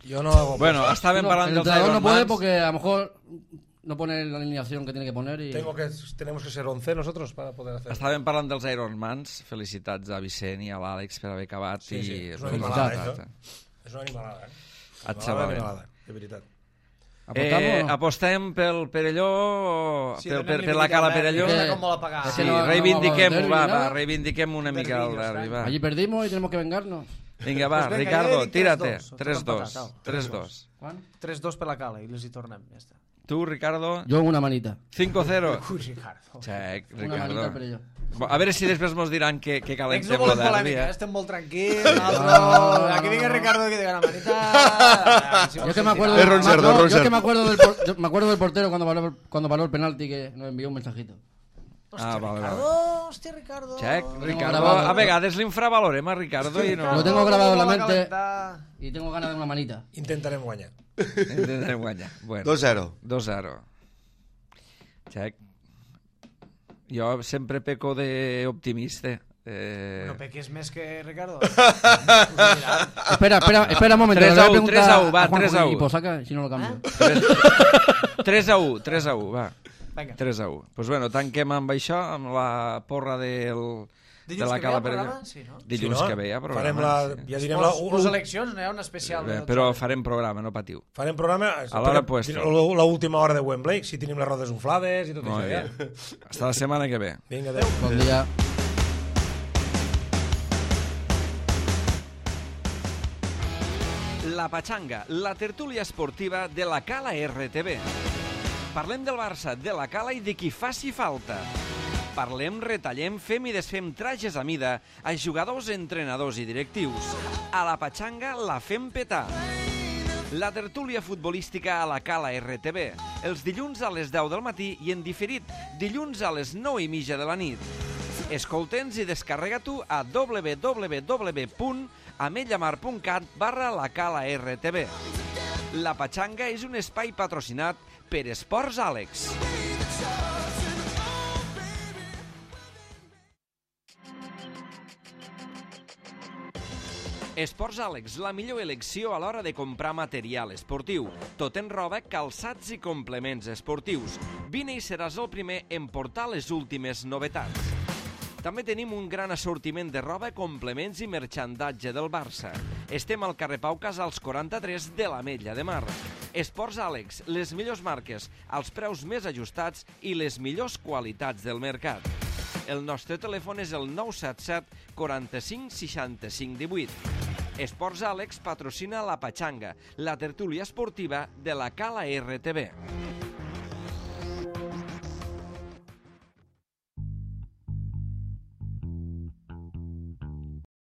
Jo no... Bueno, estàvem No, parlant el dels entrenador no puede Ironmans. porque a lo mejor no pone la alineación que tiene que poner y... Tengo que, tenemos que ser once nosotros para poder hacer. Estàvem parlant dels Ironmans. Felicitats a Vicent i a l'Àlex per haver acabat. Sí, sí, i és una felicitats. animalada, això. És una animalada, eh? Et Animalada, sembla bé. animalada, de veritat. ¿Apostamos Eh, o no? apostem pel Perelló, Sí, per, per, donem-li per la mica Cala de merda, Perelló. mira com vol apagar. És Sí, que no- no reivindiquem-ho, vamos a va, derbi, va, nada. reivindiquem una mica el Derbi, derbi, va. Allí perdimos y tenemos que vengarnos. Vinga, va, Pues vinga, Ricardo, jo dic tírate. tres dos, tres dos. empatat, au. tres dos. ¿Juan? tres dos per la cala i les hi tornem, ja està. Tu, Ricardo, Yo en una manita. cinco cero. Ui, Ricardo. Xec, Una manita al Ricardo. Perelló. A veure si després mos diran que, que Ex no calentem volem lo derbi, polèmica, eh? estem molt tranquils, nosaltres... Aquí vinga Ricardo que diga una manita... Yo es que me acuerdo, Es Ron no, Cerdo, yo Ron es que Cerdo. me acuerdo del por- yo me acuerdo del portero cuando paró, cuando paró el penalti que nos envió un mensajito. Ah, vale, vale. Ricardo, hòstia, Ricardo... Xec, Ricardo, grabado. a vegades l'infravalorem a Ricardo i no... Lo tengo grabado en la Com va mente calentar. y tengo ganas de una manita. Intentarem guanyar. Intentem guanyar. Bueno, dos zero. dos zero. Xec. Jo sempre peco d'optimista. Eh... No peques més que Ricardo. Espera, espera, espera un momento. tres le voy a uno, preguntar tres a uno, va, Juanjo tres a y uno. pues saca, si no lo cambio. tres a u, tres a u, va. Vinga. tres a u. Doncs pues bueno, tanquem amb això, amb la porra del, de Dilluns la que ve hi ha Cala Perelló. programa? Sí, no? Dilluns Sí, no? que ve hi ha programa. Farem la, sí. ja direm la, Les eleccions, no hi ha una especial. Bé, de però dotze. farem programa, no patiu. farem programa A l'hora puesta. l'última hora de Wembley, si tenim les rodes inflades i tot Molt això. bé. Ja. Hasta la setmana que ve. Vinga, adéu. Buen día. La Patxanga, la tertúlia esportiva de la Cala R T B. Parlem del Barça, de la Cala i de qui faci falta. Parlem, retallem, fem i desfem trajes a mida a jugadors, entrenadors i directius. A la Patxanga la fem petar. La tertúlia futbolística a la Cala R T B, els dilluns a les deu del matí i en diferit, dilluns a les nou i mitja de la nit. Escolta'ns i descarrega-t'ho a w w w punt ametllamar punt cat barra la Cala R T B. La Patxanga és un espai patrocinat per Esports Àlex. Esports Àlex, la millor elecció a l'hora de comprar material esportiu. Tot en roba, calçats i complements esportius. Vine i seràs el primer en portar les últimes novetats. També tenim un gran assortiment de roba, complements i merchandatge del Barça. Estem al carrer Pau Casals quaranta-tres de l'Ametlla de Mar. Esports Àlex, les millors marques, els preus més ajustats i les millors qualitats del mercat. El nostre telèfon és el nou set set quaranta-cinc seixanta-cinc divuit. Esports Àlex patrocina la Patxanga, la tertúlia esportiva de la Cala R T B.